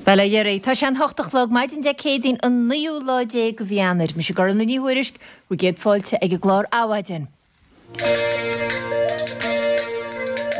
Bhuel, a Dhéaraí, tá sé an hocht a chlog, maidin Dé Céadaoin an naoú lá déag de mhí Eanáir. Mise Gormfhlaith Ní Thuairisg, bhur gcéad fáilte ag an gclár Adhmhaidin.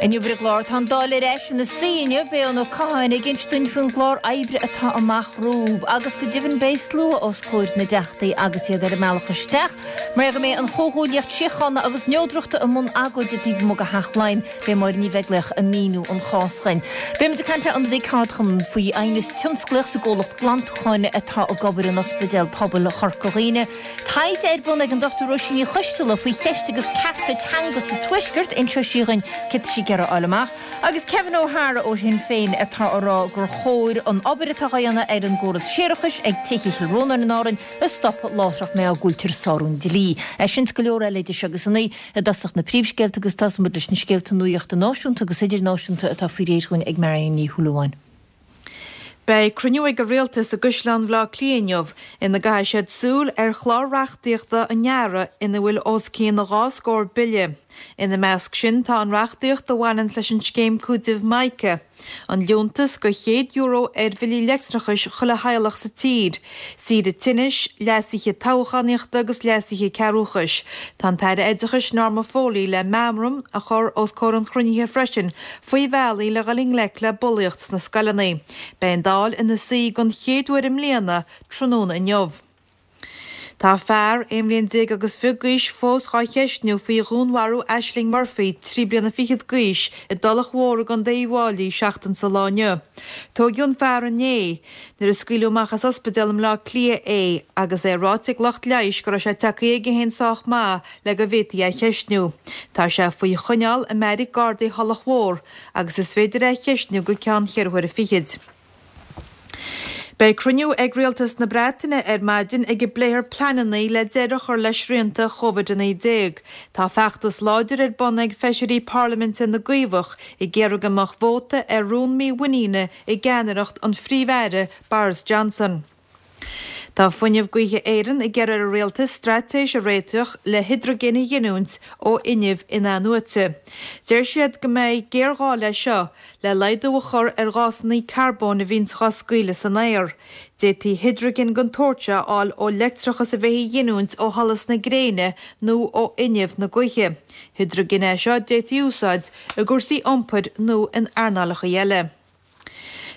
Inniu ar an gclár tá an Dáil ar ais ina suí inniu, beidh Eoin Ó Catháin ag inse dúinn faoin gclár oibre atá amach rompu agus go deimhin beidh slua os comhair na dTeachtaí agus iad ar a mbealach isteach mar go mbeidh an Chomhghuaillíocht Síochána agus Neodrachta i mbun agóide taobh amuigh de Theach Laighean. Beidh Máire Ní Bheaglaoich ag míniú an chás dhuinn. Beidh muid ag caint le ionadaí ceardchumann faoi aighneas tionsclaíoch sa gcomhlacht glantúcháin atá ag obair in Ospidéal Pobail Chorca Dhuibhne. Taighde ar bun ag an Dr Róisín Ní Choisteala faoi cheist agus cearta teanga sa Tuaisceart, inseoidh sí dhuinn céard tá sí ag iarraidh a fháil amach. Agus Kevin O'Hara ó Shinn Féin atá ag rá gur chóir an obair atá á dhéanamh ar an gcóras séarachais ag Tithe Chill Rónáin in Árainn a stopadh láithreach mar go bhfuiltear ag sárú an dlí. É sin is go leor eile idir seo agus a naoi i dtosach na príomhscéalta agus tosóidh muid leis na scéalta nuachta náisiúnta agus idirnáisiúnta atá faoi réir dhúinn ag Marion Ní Shúilleabháin. Beidh cruinniú ag an Rialtas i gCaisleán Bhaile Átha Cliath inniu ina gcaithfidh siad súil ar chlár reachtaíochta an earraigh ina bhfuil os cionn dhá scór bille. Ina measc sin tá an reachtaíocht a bhaineanns leis an scéim cúitimh Mica, an liúntas de €100 ar bhillí leictreachais chuile theaghlach sa tír, saoire tinnis, leasuithe toghchánaíochta agus leasuithe cearrbhachais. Tá an tAire Oideachais Norma Foley le meamram a chur os comhair an chruinnithe freisin faoi bhealaí le dhul i ngleic le bulaíocht sna scoileanna. Beidh an Dáil ina suí don chéad uair i mbliana tráthnóna inniu. Tá fear, 11 mbliain agus fiche d'aois, fós dhá cheistniú faoi dhúnmharú Ashling Murphy, 3 bliana fichead d'aois, i dTulach Mhór i gContae Uíbh Fháilí seachtain sa lá inniu. Tóigeadh an fear inné nuair a scaoileadh amach as ospidéal i mBleá Cliath é agus é ráite ag lucht leighis go raibh sé tagtha chuige féin sách maith le go bhféadfaí é a cheistniú. Tá sé faoi choinneáil i mbeairic Gardaí Thulach Mhór agus is féidir é a cheistniú go ceann cheithre huaire fichid. Beidh cruinniú ag Rialtas na Breataine ar maidin ag a bpléifear pleananna le deireadh a chur le srianta Covid-19. Tá feachtas láidir ar bun ag feisirí parlaiminte na gCaomhach ag iarraidh go mbeadh vóta ar rún mímhuiníne i gceannaireacht an Phríomh-Aire Boris Johnson. Tá Fuinneamh Gaoithe Éireann ag iarraidh ar an Rialtas straitéis a réiteach le hidrigin a ghiniúint ó fhuinneamh in-athnuaite. Deir siad go mbeidh géarghá leis seo le laghdú a chur ar ghásanna carbóin a bhíonns dhá scaoileadh san aer. D'fhéadfaí hidrigin den tsórt seo a fháil ó leictreachas a bheifí a ghiniúint ó sholas na gréine nó ó fhuinneamh na gaoithe. Hidrigin é seo a d'fhéadfaí a úsáid i gcúrsaí iompair nó in earnálacha eile.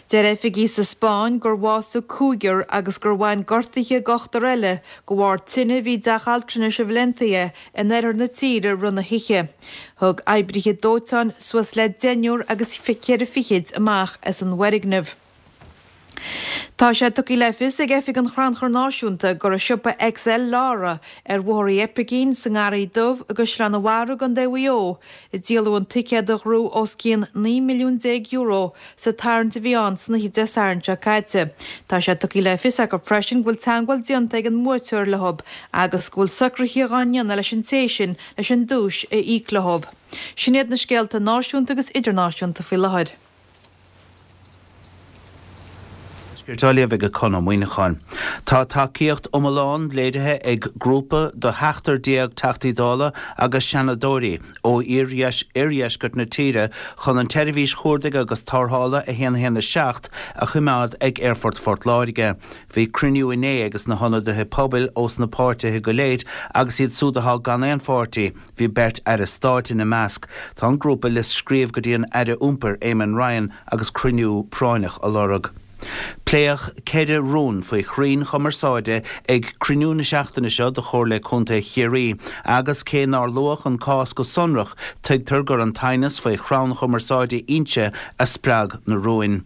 Deir oifigigh sa Spáinn gur bhásaigh cúigear agus gur bhain gortuithe d'ochtar eile de bharr tine a bhí i dteach altranais i Valencia in oirthear na tíre rith na hoíche. Thug oibrithe dóiteáin suas le deichniúr agus ceithre fichid amach as an bhfoirgneamh. Tá sé tugtha le fios ag Oifig an Chrannchuir Náisiúnta gur i siopa XL Lara ar Bhóthar Uí Oipicín sa nGarraí Dubh i gCaisleán an Bharraigh i gContae Mhaigh Eo a díoladh an ticéad a ghnóthaigh os cionn €19 milliún sa tarraingt a bhí ann san oíche Dé Sathairn seo caite. Tá sé tugtha le fios acu freisin go bhfuil teagmháil déanta ag an mbuaiteoir leo agus go bhfuil socruithe dhá ndéanamh leis an té sin leis an duais a íoc leo. Sin iad na scéalta náisiúnta agus idirnáisiúnta faoi láthair. Tuaiscirt á léamh ag Conn Ó Muíneacháin. Tá tacaíocht iomlán léirithe ag grúpa de sheachtar déag Teachtaí Dála agus Seanadóirí ó iardheisceart na tíre chun an tseirbhís chuardaigh agus tarrthála 117 a choimeád ag Aerfort Phort Láirge. Bhí cruinniú inné ages na hionadaithe pobail ós na páirtithe go léir agus iad súd athá gan aon pháirtí. Bhí beirt Aire Stáit ina measc. Tá an grúpa le scríobh go dtí an Aire Iompair Eamon Ryan agus cruinniú práinneach a lorg. Pléadh 4 rún faoi chrainn chumarsáide ag cruinniú na seachtaine seo de Chomhairle Contae Chiarraí agus cé nár luadh an cás go sonrach tuigtear gur an t-aighneas faoi chrann chumarsáide Inse a spreag na rúin.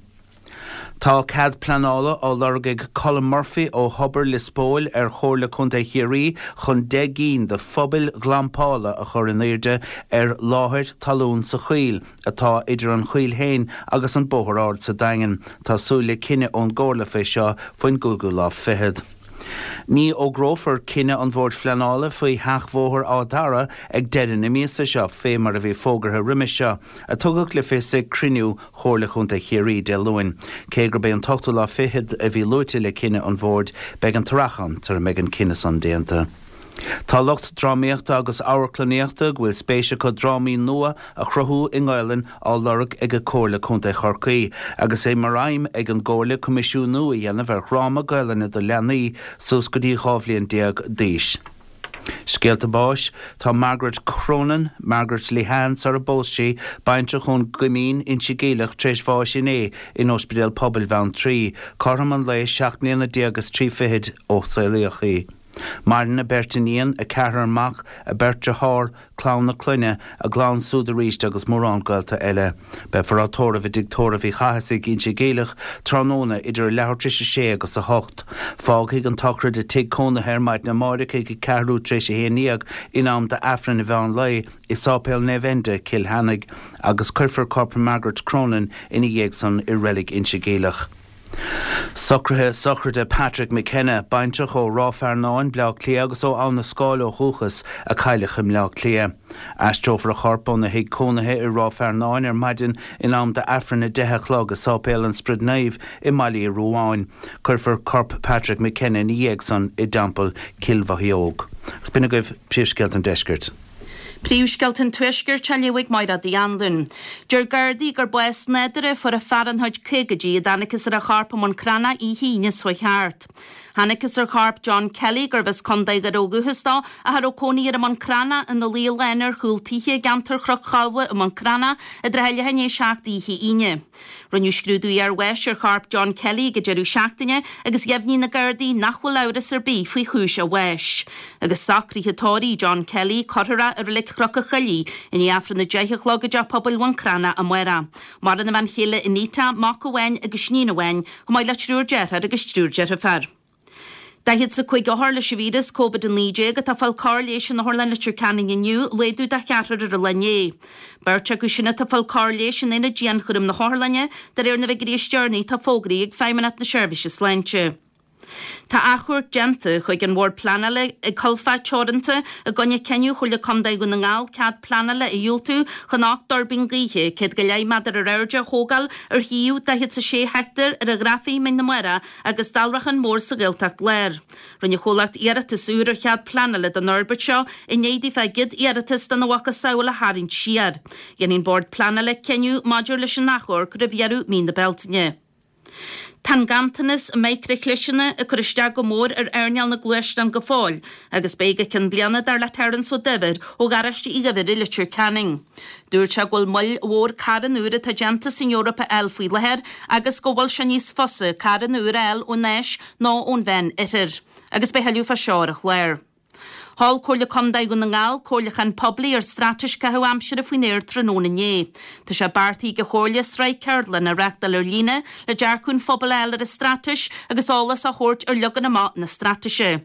Tá cead pleanála á lorg ag Colm Murphy ó Thobar Lios Póil ar Chomhairle Contae Chiarraí chun 10 gcinn de phubaill ghlampála a chur in airde ar láthair talún sa choill atá idir an choill féin agus an Bóthar Ard sa Daingean. Tá súil le cinneadh ón gComhairle fé seo faoin gcúigiú lá fichead. Ní fhógrófar cinneadh an Bhoird Phleanála faoi sheachbhóthar Áth Dara ag deireadh na míosa seo, fé mar a bhí fógartha roimis seo, a tugadh le fios ag cruinniú Chomhairle Chontae Chiarraí Dé Luain. Cé gurb é an t-ochtú lá fichead a bhí luaite le cinneadh an Bhoird, beidh an t-earrach ann sara mbeidh an cinneadh san déanta. Tá lucht drámaíochta agus amharclannaíochta go bhfuil spéis acu drámaí nua a chruthú i nGaelainn á lorg ag Comhairle Contae Chorcaí agus é mar aidhm ag an gComhairle coimisiúnú a dhéanamh ar dhráma Gaelainne do leanaí suas go dtí 12 bhliain d'aois. Scéalta báis, Tá Margaret Cronin, Margaret Lehane sar a bpós sí, baintreach ón gCoimín, Inse Geimhleach, tar éis bháis inné in Ospidéal Pobail Bheanntraí, cothrom an lae, 17 mbliana is 3 fichid ó saolaíodh í. Maireann a beirt iníon, a ceathrar mac, a beirt dearthár, clann a clainne, a gclann súd arís agus mórán gaolta eile. Beifear á tórramh i dTigh Tórraimh Uí Chathasaigh, Inse Geimhleach, tráthnóna idir a leathuair tar éis a sé agus a hocht. Fágfaidh an tsochraid a tigh cónaithe ar maidin amáireach ag a ceathrú tar éis a haon dhéag in am d'Aifreann an mheán lae i Sáipéal Naomh Enda, Cill Cheannaigh, agus cuirfear corp Margaret Cronin ina dhiaidh san i Reilig Inse Geimhleach. Socruithe sochraide Patrick McKenna, baintreach ó Ráth Fearnáin, Bleá Cliath agus ó Abha na Scáil ó dhúchas, a cailleadh i mBleá Cliath. Aistreofar a chorp óna thigh cónaithe i Ráth Fearnáin ar maidin in am d'Aifreann 10 a chlog i Sáipéal an Spioraid Naoimh i mBaile Uí Ruadháin. Cuirfear corp Patrick McKenna ina dhiaidh san i dTeampall Cill Mhochióg. Agus b'in agaibh príomhscéalta an deiscirt. Príomhscéalta an Tuaiscirt á léamh ag Mairéad Uí Anluain. Deir Gardaí gur bás nádúrtha a fuair an fear ina chuid caogaidí a dtángthas ar a chorp i mBun Cranncha oíche Aoine seo chuaigh thart. Thángthas ar chorp John Kelly, gurbh as Contae Dhoire ó dhúchas dó, ach a raibh cónaí air i mBun Cranncha, ina luí lán ar chúl tithe i gceantar Chnoc Cholbha i mBun Cranncha i dtrátha leath i ndiaidh a 7 oíche Aoine. Rinneadh scrúdú iarbháis ar chorp John Kelly ag an deireadh seachtaine agus dheimhnigh na Gardaí nach bhfuil amhras ar bith faoi chúis a bháis. Agus socruithe tórraimh John Kelly, cuirfear é i Reilig Chnoc an Choilligh i ndiaidh Aifreann 10 a chlog i dTeach Pobail Bhun Cranncha amárach. Maireann a bhean chéile Anita, mac amháin agus iníon amháin, chomh maith le triúr deartháir agus triúr deirfiúr. 45 othar leis an víreas Covid-19 atá ag fáil cóir leighis in Otharlann Leitir Ceanainn inniu, laghdú de cheathrar ar an lá inné. Beirt acu sin atá ag fáil cóir leighis in aonad dianchúraim na hotharlainne, de réir na bhfigiúirí is deireanaí atá fógraithe ag Feidhmeannacht na Seirbhíse Sláinte. Tá achomharc déanta chuig an Bhord Pleanála ag Culfad Teoranta i gcoinne cinneadh Chomhairle Contae Dhún na nGall cead pleanála a dhiúltú chun 8 dtuirbín gaoithe, 100 go leith méadar ar airde, a thógáil ar shuíomh 46 heicteár ar an Ghrafaidh, Mín na Mara, agus Daileachán Mór sa Ghaeltacht Láir. Rinne an chomhlacht iarratas úr ar chead pleanála don fhorbairt seo i ndiaidh daofa a gcéad iarratas dena mhacasamhail a tharraingt siar. Dhéanfaidh an Bord Pleanála cinneadh maidir leis an achomharc roimh dheireadh mí na Bealtaine. Tá an ganntanas micreachliseanna ag cur isteach go mór ar earnáil na gluaisteán go fóill agus beidh go ceann bliana dar le Terence Ó Duibhir ó Gharáiste Uí Dhuibhir i Leitir Ceanainn. Dúirt sé go bhfuil moill mhór carranna úra atá déanta san Eoraip a fháil faoi láthair agus go bhfuil sé níos fusa carranna úra a fháil ón Áis ná ón Mheán Oirthear. Agus beidh thuilleadh fá seo ar an chlár. Sheol Comhairle Contae Dhún na nGall comhairliúchán poiblí ar Straitéis Caitheamh Aimsire faoin Aer tráthnóna inné. Tá sé beartaithe ag an Chomhairle sraith ceardlann a reáchtáil ar líne le dearcadh an phobail a fháil ar an straitéis agus eolas a thabhairt ar leagan amach na straitéise.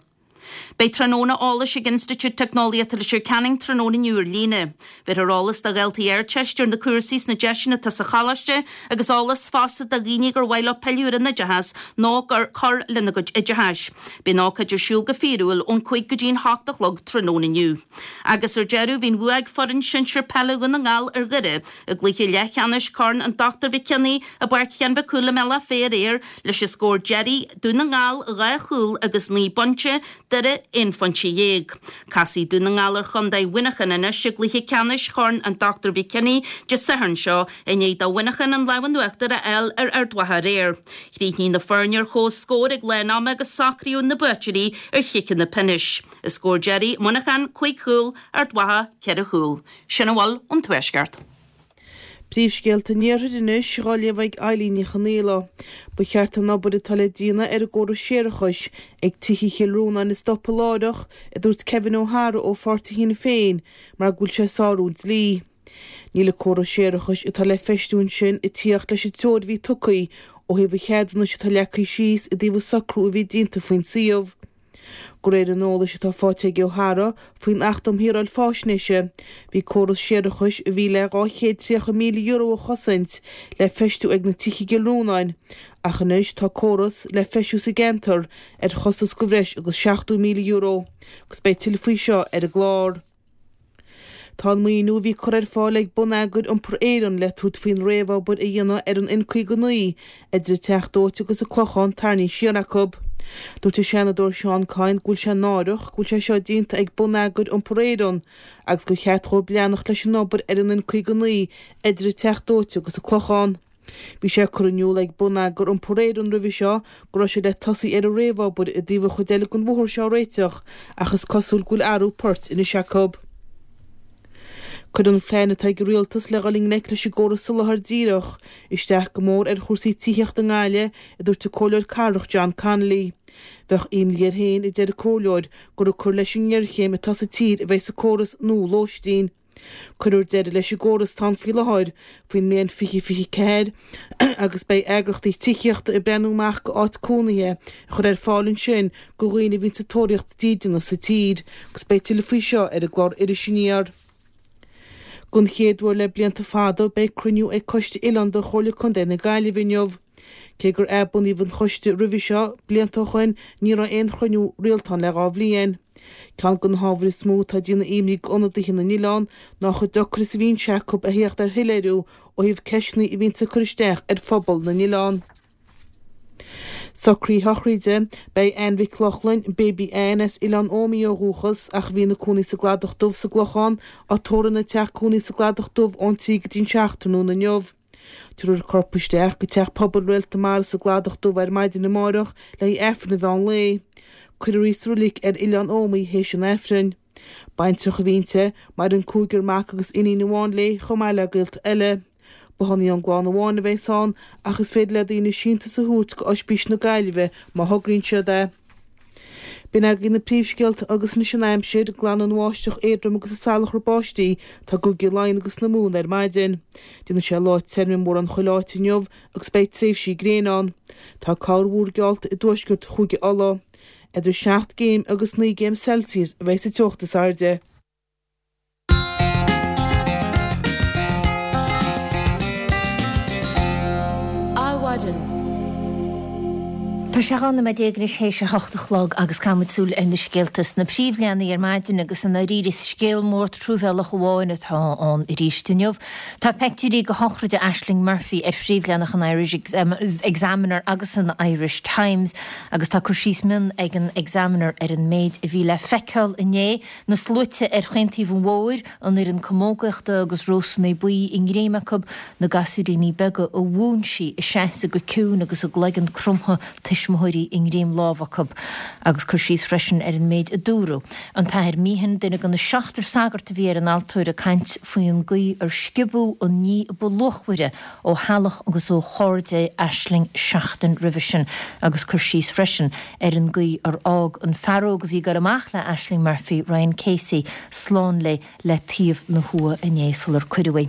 Beidh tráthnóna eolais ag Institiúid Teicneolaíochta Leitir Ceanainn tráthnóna inniu ar líne. Bhéarfar eolas do dhaltaí Ardteiste ar na cúrsaí is na deiseanna atá sa choláiste agus eolas fosta do dhaoine gur mhaith leo pilleadh ar an oideachas nó gur cur lena gcuid oideachais. Beidh an ócáid ar siúl go fíorúil ón 5 go dtí an 8 a chlog tráthnóna inniu. Agus ar deireadh, bhí an bhua ag foireann sinsir peile Dhún na nGall ar Dhoire i gcluiche leathcheannais Chorn an Dr Mhic Cionnaith i bPáirc Sheáin Mhic Cumhaill i mBealach Féich aréir leis an scór deiridh, Dún na nGall 2 chúl agus 9 bpointe, Doire 11 phointe. Casfaidh Dún na nGall ar chontae Mhuineacháin anois i gcluiche ceannais Chorn an Dr Mhic Cionnaith Dé Sathairn seo i ndiaidh do Mhuineachán an lámh in uachtar a fháil ar Ard Mhacha aréir. Chríochnaigh na foirne ar comhscór ag lán ama agus socraíodh na buaiteoirí ar chiceanna pionóis. An scór deiridh, Muineachán 5 chúl, Ard Mhacha 4 chúl. Sin a bhfuil ón Tuaisceart. Príomhscéalta an Iarthair anois dhá léamh ag Eilín Ní Chonaola. Ba cheart an obair atá le déanamh ar an gcóras séarachais ag tithe Chill Rónáin a stopadh láithreach, a dúirt Kevin O'Hara ó pháirtí Shinn Féin, mar go bhfuil sé ag sárú an dlí. Níl an córas séarachais atá le feistiú ansin ag tíocht leis an treoir a bhí tugtha ó thaobh an cheadúnais atá leagtha síos i dtaobh an socrú a bhí déanta faoin suíomh. De réir an eolais atá faighte ag O'Hara faoin Acht um Shaoráil Faisnéise, bhí córas séarachais a bhí le €230,000 a chosaint le feistiú ag na tithe i gCill Rónáin, ach anois tá córas le feistiú sa gceantar ar chostas de bhreis agus €70,000, agus beidh tuilleadh faoi seo ar an gclár. Tá an maoiniú a bhí curtha ar fáil ag Bonneagar Iompair Éireann le tabhairt faoin réamhobair a dhéanamh ar an N59 idir an Teach Dóite agus an Clochán tarraingthe siar acu. Dúirt an Seanadóir Seán Kyne go bhfuil sé náireach go bhfuil sé seo déanta ag Bonneagar Iompair Éireann agus gur cheart dhóibh leanacht leis an obair ar an N59 idir an Teach Dóite agus an Clochán. Bhí sé curtha in iúl ag Bonneagar Iompair Éireann roimhe seo go raibh siad le tosaí ar an réamhobair i dtaobh an chuid eile den bhóthar seo a réiteach ach is cosúil go bhfuil athrú poirt anois acu. Cuireann an phlean atá ag an Rialtas le dhul i ngleic leis an gcóras soláthair díreach isteach go mór ar chúrsaí tithíochta i nGaillimh, a dúirt an Comhairleoir Cathrach John Connolly. Bheadh imní air féin, a deir an Comhairleoir, gur ag cur leis an ngéarchéim atá sa tír a bheidh sa córas nua lóistín. Cuirfear deireadh leis an gcóras atá ann faoi láthair faoin mbliain 2024 agus beidh eagrachtaí tithíochta ag breathnú amach go áit cónaithe a chur ar fáil ansin go dhaoine a bhíonn sa tóraíocht dídeana sa tír agus beidh tuilleadh faoi seo ar an gclár Iris Aniar. Don chéad uair le blianta fada beidh cruinniú ag Coiste Oileán de Chomhairle Contae na Gaillimhe inniu. Cé gur athbunaíodh an choiste roimhe seo, blianta ó shoin, ní raibh aon chruinniú rialta ann le 2 bhliain. Ceann de na hábhair is mó atá ag déanamh imní d'ionadaithe na n-oileán ná chomh deacair is a bhíonn sé acu a theacht ar shoiléiriú ó thaobh ceisteanna a bhíonns ag cur isteach ar phobal na n-oileán. Socruithe sochraide, Beidh Ann Mhic Lochlainn, Baby Ann, as Oileán Ómaigh ó dhúchas ach a bhí ina cónaí sa gCladach Dubh sa gClochán, á tórramh ina teach cónaí sa gCladach Dubh ón 3 go dtí an 7 tráthnóna inniu. Tabharfar a corp isteach go Teach Pobail Réalt na Mara sa gCladach Dubh ar maidin amárach le haghaidh Aifreann an mheán lae. Cuirfear í sa roilig ar Oileán Ómaigh théis an Aifrinn. Baintreach a bhí inti, maireann cúigear mac agus iníon amháin léi chomh maith le gaolta eile. Bothán í ón gclann amháin a bheas ann ach is féidir le daoine síntiús a thabhairt go Oispís na Gaillimhe má thograíonn siad é. B'in agaibh na príomhscéalta agus anois an aimsir, Glanfaidh an bháisteach éadrom agus an salachar báistí atá i gCúige Laighean agus na Mumhan ar maidin. Déanfaidh sé lá tirim i mórán chuile áit inniu agus beidh tréimhsí gréine ann. Tá corrmhúr geallta i dtuaisceart Chúige Uladh. Idir 7 gcéim agus 9 gcéim Celsius a bheidh sa teocht is airde. Adhmhaidin. Tá sé 12 nóiméad anois théis a hocht a chlog agus caithfidh muid súil ar na scéalta sna príomhleathanaigh ar maidin agus i ndáiríre is scéal mór truamhéalach amháin atá ann arís inniu. Tá peictiúirí de shochraid Ashling Murphy ar phríomhleathanach an Irish Examiner agus an Irish Times agus tá cur síos mion ag an Examiner ar an méid a bhí le feiceáil inné Na sluaite ar chaon taobh an bhóthair, an fhoireann camógaíochta agus rósanna buí i ngreim acu, na gasúiríní beaga a mhúin sí ag seasamh go ciúin agus a gcloigeann cromtha, tuismitheoirí i ngreim lámh acu. Agus cur síos freisin ar an méid a dúradh. An tAthair Meehan, duine de na seachtar sagart a bhí ar an altóir ag caint faoin gcaoi ar sciobadh an ní ba luachmhaire ó theaghlach agus ó chairde Ashling seachtain roimhe sin agus cur síos freisin ar an gcaoi ar fhág an fear óg a bhí ag dul amach le Ashling Murphy, Ryan Casey, slán léi le taobh na huaighe inné sular cuireadh í.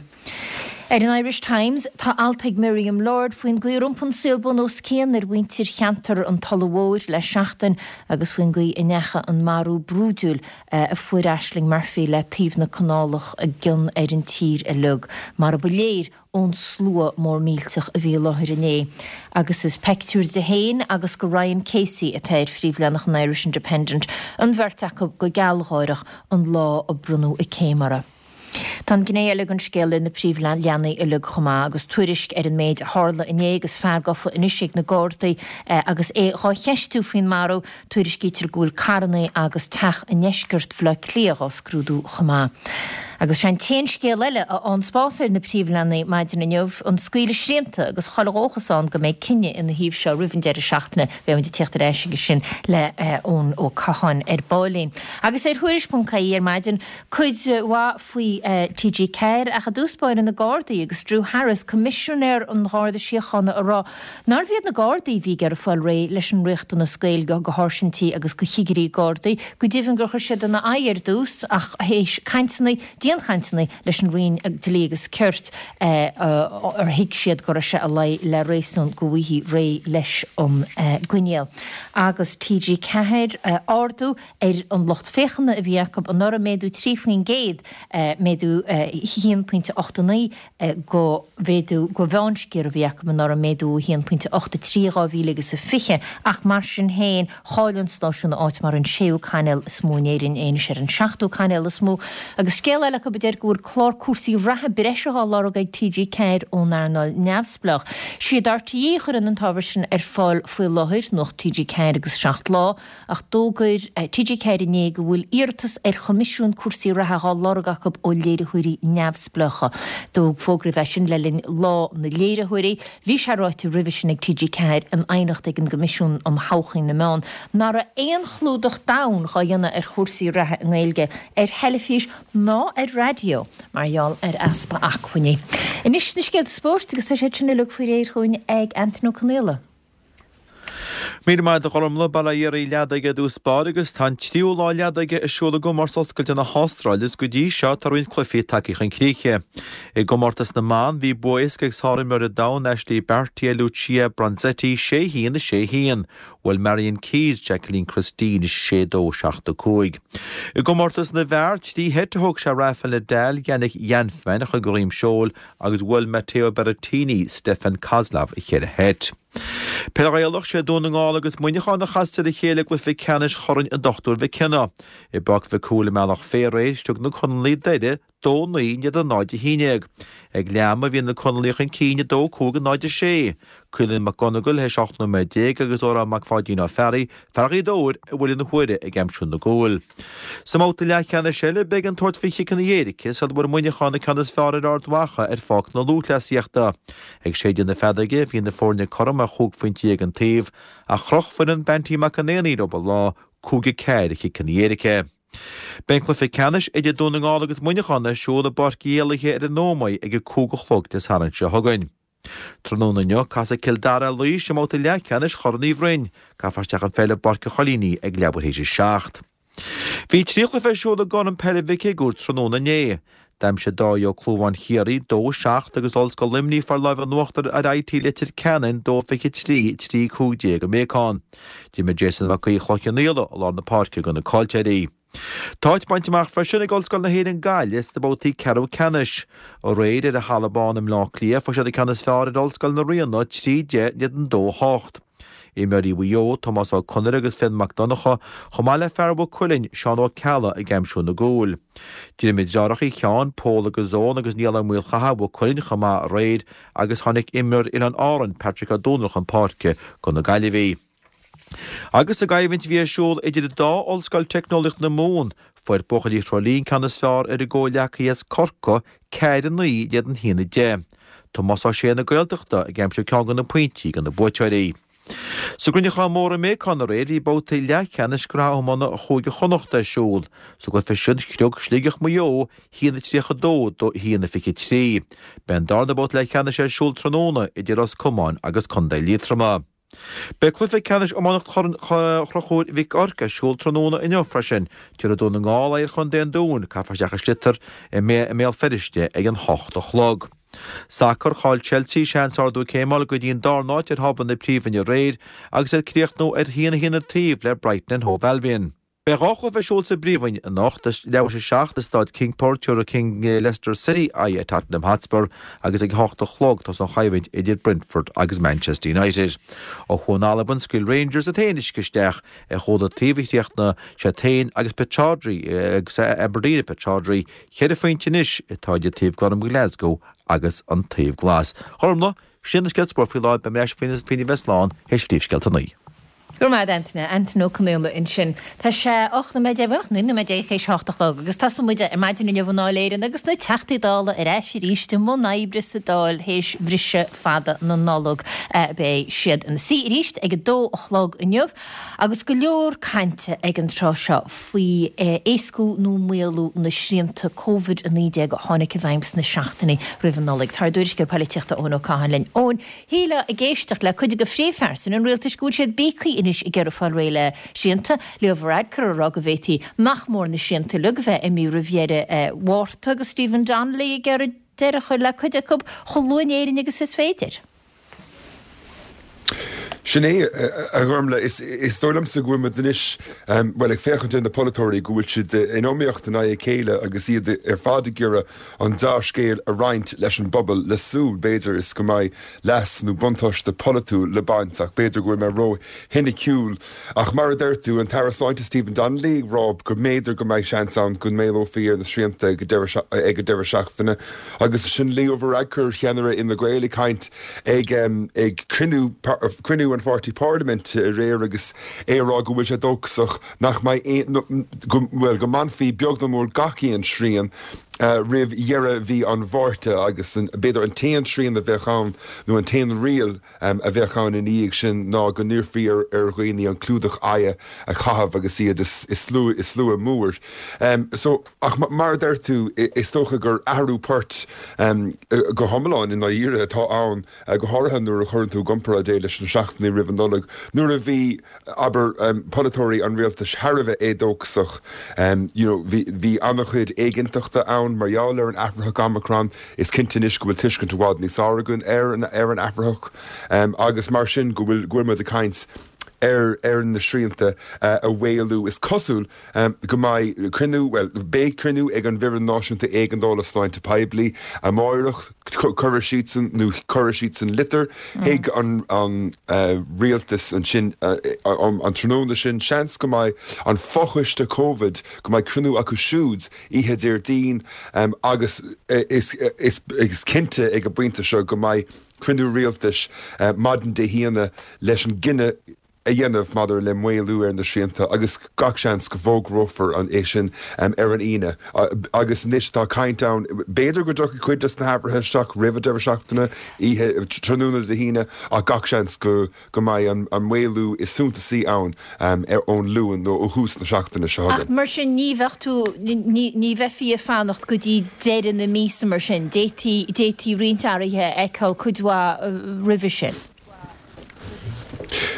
Ar an Irish Times, tá alt ag Miriam Lord faoin gcaoi ar iompaigh an saol bun os cionn ar mhuintir cheantar an Tulaigh Mhóir le seachtain agus faoin gcaoi a ndeachaigh an marú brúidiúil a fuair Ashling Murphy le taobh na canálach i gcion ar an tír uilig, mar a ba léir ón slua mór millteach a bhí i láthair inné. Agus is peictiúr di féin agus de Ryan Casey atá ar phríomhleathanach an Irish Independent, an bheirt acu go gealgháireach an lá a bronnadh a céim orthu. Tá an gné eile den scéal ar na príomhleathanaigh uilig chomh maith agus tuairisc ar an méid a tharla inné agus fear gafa anois ag na Gardaí agus é dhá cheistiú faoin marú. Tuairiscítear go bhfuil carranna agus teach i ndeisceart Bhaile Átha Cliath dhá scrúdú chomh maith. Agus sé an t-aon scéal eile a fhaigheann spás ar na príomhleathanaigh maidin inniu, an scaoileadh srianta agus chuile dhóchas ann go mbeidh cinneadh ina thaobh seo roimh an deireadh seachtaine. Beidh muid ag tíocht ar ais aige sin le Eoin Ó Catháin ar baillín. Agus ar Thuairisc.ie ar maidin, cuid mhaith faoi TG4 ach i dtús báire na Gardaí agus Drew Harris, Coimisinéir an Gharda Síochána a rá Nárbh iad na Gardaí a bhí ag iarraidh fáil réidh leis an riachtanas Gaeilge do sháirsintí agus do chigirí Gardaí, go deimhin gur chuir siad ina aghaidh ar dtús ach théis cainteanna, dianchainteanna leis an Roinn Dlí agus Cirt ar thuig siad go raibh sé i luí le réasún go bhfaighfí réidh leis an gcoinníoll. Agus TG4, ardú ar an lucht féachana a bhí acu anuraidh, méadú 3%, méadú 1.89 go mhéadú go mheánsciar a bhí acu anuraidh, méadú 1.83 2020, ach mar sin féin, chaill an stáisiún a áit mar an séú cainéal is mó in Éirinn, é anois ar an seachtú cainéal is mó. Agus scéal eile. eile acu a deir go bhfuil clár cúrsaí reatha breise á lorg ag TG4 ón earnáil neamhspleách. Siad RTÉ a chuireann an t-ábhar sin ar fáil faoi láthair, Nuacht TG4 agus 7 Lá, ach d'fhógair TG4 inné go bhfuil iarratas ar choimisiún cúrsaí reatha á lorg acu ó léiritheoirí neamhspleácha. Fógraíodh é sin le linn Lá na Léiritheoirí. Bhí sé ráite roimhe sin ag TG4 in aighneacht ag an gCoimisiún um Thodhchaí na Meán nach raibh aon chlúdach domhain dhá dhéanamh ar chúrsaí reatha i nGaeilge ar theilifís ná ar raidió mar gheall ar easpa acmhainní. Anois na scéalta spóirt agus tá siad sin uilig faoi réir dhúinn ag Antain Ó Conaola. Míle maith agat a Ghormlaith, Bail ó Dhia oraibh leadóige i dtús báire agus tá an tríú lá leadóige ar siúl i gcomórtas oscailte na hAstráile agus go dtí seo tá roinnt cluichí tagtha chun críche. I gcomórtas na mban bhí bua éasca ag sárimreoir an domhain Ashleigh Barty ar Lucia Bronzetti 6 1 6 1. Bhuail Marion Keyes Jacqueline Christine 6 2 7 5. I gcomórtas na bhfear, 3 sheit a thóg sé Rafael Nadal, Yannick Hanfmann a chur de dhroim seoil agus bhuail Matteo Berrettini Stefan Kozlov i cheithre sheit. Peil Ghaelach, Sé Dún na nGall agus Muineachán a chasas ar a chéile i gcluiche ceannais Chorn an Dochtúir Mhic Cionnaith. I bPáirc Mhic Cumhaill i mBealach Féich aréir, thug na Conallaigh Doire 2 9 in éadan 0 11. Ag leath ama bhí na Conallaigh chun cinn 2 5 0 6. Caolan Mac Gonigle théis 18 nóiméad agus Odhrán Mac Pháidín Ó Fearraigh, fear Ghaoth Dobhair, a bhuille na huaire ag aimsiú na gcúl. Sa mbabhta leathcheannais eile, beidh an tabhairt faoi chiceanna éirice sula bhfuair Muineachán an ceann is fearr ar Ard Mhacha ar pháirc na lúthchleasaíochta. Ag séideadh na feadóige, bhí na foirne cothrom ar chúig phointe an taobh, ach chroch foireann Banty McEnaney leo an lá, 5-4 ar chiceanna éirice. Beidh an cluiche ceannais idir Dún na nGall agus Muineachán ar siúl i bPáirc Uí Éallaithe ar an Ómaigh ag a 5 a chlog Dé Sathairn seo chugainn. Tráthnóna inniu, casfaidh Cill Dara ar Laois i mbabhta leathcheannais Chorn Uí Bhroin. Caithfear isteach an pheil i bPáirc an Choilínigh ag leathuair théis a 7. Bhí 3 chluiche ar siúl i gCorn Peile Mhic Shigiúir tráthnóna inné. D'aimsigh Dáithí Ó Clúmháin Chiarraí 2, 7 agus Ollscoil Luimnigh fuair lámh in uachtar ar IT Leitir Ceanainn 2, 23, 3, 15 i mBéacán. D'imir Jason Mac Aoidh Chloich Cheann Fhaola i lár na páirce do na Coiltéirí. Tá áit bainte amach freisin ag Ollscoil na hÉireann Gaillimh sna babhtaí ceathrú ceannais. Aréir ar an Halla Bán i mBleá Cliath fuair siad an ceann is fearr ar Ollscoil na Ríona 3, 10 in éadan 2, 8. Imreoirí Mhaigh Eo, Tomás Ó Conaire agus Fionn Mac Donncha, chomh maith le fear Mhaigh Cuilinn, Seán Ó Ceallaigh ag aimsiú na gcúil. D'imir deartháireacha Uí Sheáin, Pól agus Eoin agus Niall Ó Maolchatha, Mhaigh Cuilinn chomh maith aréir agus tháinig imreoir Oileáin Árann, Patrick Ó Dónaill chun páirce do na Gaillimhigh. Agus sa gcoimhlint a bhí ar siúl idir an dá Ollscoil Teicneolaíocht na Mumhan, fuair buachaillí Thrá Lí an ceann is fearr ar a gcomhghleacaithe as Corcaigh, 4, 9 in éadan 1, 10. Tomás Ó Sé na Gaeltachta ag aimsiú ceann de na pointí do na buaiteoirí. Sa gcruinneachán mór i mBéacán aréir bhí babhtaí leathcheannais Shraith Iomána Chúige Chonnacht ar siúl. Sa gcluiche sin screog Sligeach Maigh Eo 1-32 do 1-23. Beidh an darna babhta leathcheannais ar siúl tráthnóna idir Ros Comáin agus Contae Liatroma. Beidh cluiche ceannais iománaíocht Chorn Chonchúir Mhic Oirc ar siúl tráthnóna inniu freisin. Tabharfaidh Dún na nGall aghaidh ar Chontae an Dúin, caithfear isteach an sliotar i mBéal Feirste ag an hocht a chlog. Sacar, Chaill Chelsea seans ardú céime a fháil go dtí an darna háit ar thábla na Príomhroinne aréir agus iad ag críochnú ar 1-1 an taobh le Brighton and Hove Albion. Beidh 2 chluiche ar siúl sa bPríomhroinn anocht, ag leathuair théis a 7 i Staid King Power tabharfaidh King Leicester City aghaidh ar Tottenham Hotspur agus ag a hocht a chlog tosóidh an choimhlint idir Brentford agus Manchester United. Ó thuaidh in Albain, scaoil Rangers iad féin uisce isteach ar chúl an taobh a chríochnaigh siad féin agus Pittodrie agus Aberdeen i Pittodrie. Ceithre phointe anois atá idir taobh gorm Ghlasgow agus an taobh glas. Gormlaith, Sin na scéalta spóirt faoi láthair, beidh mé ar ais faoina bheith slán théis phríomhscéalta a naoi. Go raibh maith agat, Antaine. Antaine Ó Conaola ansin. Tá sé 18 nóiméad, 19 nóiméad théis a hocht a chlog agus tosóidh muid ar maidin inniu i nDáil Éireann agus na Teachtaí Dála ar ais arís i mbun oibre sa Dáil théis bhriseadh fada na Nollag. Beidh siad ina suí arís ag a dó a chlog inniu agus go leor cainte ag an tráth seo faoi éascú nó maolú na srianta Covid-19 a tháinig i bhfeidhm sna seachtainí roimh an Nollaig. Tá ár dtuairisceoir polaitíochta Eoin Ó Catháin linn. Eoin, Shílfeá ag éisteacht le cuid de phríomhphearsain an rialtais go bhfuil siad bíogtha anois ag iarraidh fáil réidh le srianta. Leo Varadkar ag rá go bhféadfaí nach mór na srianta uilig a bheith imithe roimh dheireadh Mhárta agus Stephen Donnelly ag iarraidh deireadh a chur le cuid acu chomh luath in Éirinn agus is féidir. Sin é, a Ghormlaith. Is dóigh liomsa go bhfuil muid anois, bhuel, ag féachaint ar na polaiteoirí, go bhfuil siad in iomaíocht in aghaidh a chéile agus iad ar fad ag iarraidh an dea-scéal a roinnt leis an bpobal le súil, b'fhéidir, is go mbeidh leas nó buntáiste polaitiúil le baint ach b'fhéidir go bhfuil mé ró-shoiniciúil. Ach mar a deir tú, an tAire Sláinte Stephen Donnelly ag rá go mb'fhéidir go mbeidh seans ann go maolófaí ar na srianta ag an deireadh seachtaine agus ansin Leo Varadkar, ceannaire Fhine Gael ag caint ag ag cruinniú cruinniú an pháirtí parlaiminte aréir agus é ag rá go bhfuil sé dóchasach nach mbeidh aon go bhuel go mbainfí beag nó mór gach aon srian roimh dheireadh mhí an Mhárta agus an b'fhéidir an t-aon srian a bheadh ann nó an t-aon riail a bheadh ann ina dhiaidh sin ná go n-iarrfaí ar ar dhaoine an clúdach aghaidhe a chaitheamh agus iad i slua i slua mór. So. Ach mar a deir tú, is dócha gur athrú poirt go hiomlán i ndáiríre atá ann, go háirithe nuair a chuireann tú i gcomparáid é leis na seachtainí roimh an Nollaig, nuair a bhí, abair, polaiteoirí an rialtais thar a bheith éadóchasach. You know, bhí, bhí an-chuid éiginnteachta ann mar gheall ar an athraitheach Omicron. Is cinnte anois go bhfuil tuiscint i bhfad níos fearr againn ar an, ar an athraitheach agus mar sin go bhfuil, go bhfuil muid ag caint ar, ar na srianta a mhaolú. Is cosúil. go mbeidh cruinniú, bhuel, beidh cruinniú ag an bhFoireann Náisiúnta Éigeandála Sláinte Poiblí amáireach. Cuirfidh siadsan, nó cuirfidh siadsan litir chuig an rialtas ansin an tráthnóna sin. Seans go mbeidh an fochoiste Covid, go mbeidh cruinniú acu siúd oíche Déardaoin agus is cinnte ag an bpointe seo go mbeidh cruinniú rialtais maidin Dé hAoine leis an gcinneadh a dhéanamh maidir le maolú ar na srianta agus gach seans go bhfógrófar é sin ar an Aoine. Agus anois tá caint ann, b'fhéidir go dtiocfaidh cuid de na hathruithe isteach roimh an deireadh seachtaine, oíche, tráthnóna Dé hAoine, ach gach seans go go mbeidh an maolú is suntasaí ann ón Luan nó ó thús na seachtaine seo chugainn. Ach mar sin ní bheadh tú, ní bheifí ag fanacht go dtí deireadh na míosa mar sin, d'fhéadfaí, d'fhéadfaí roinnt athruithe a fheiceáil cuid mhaith roimhe sin.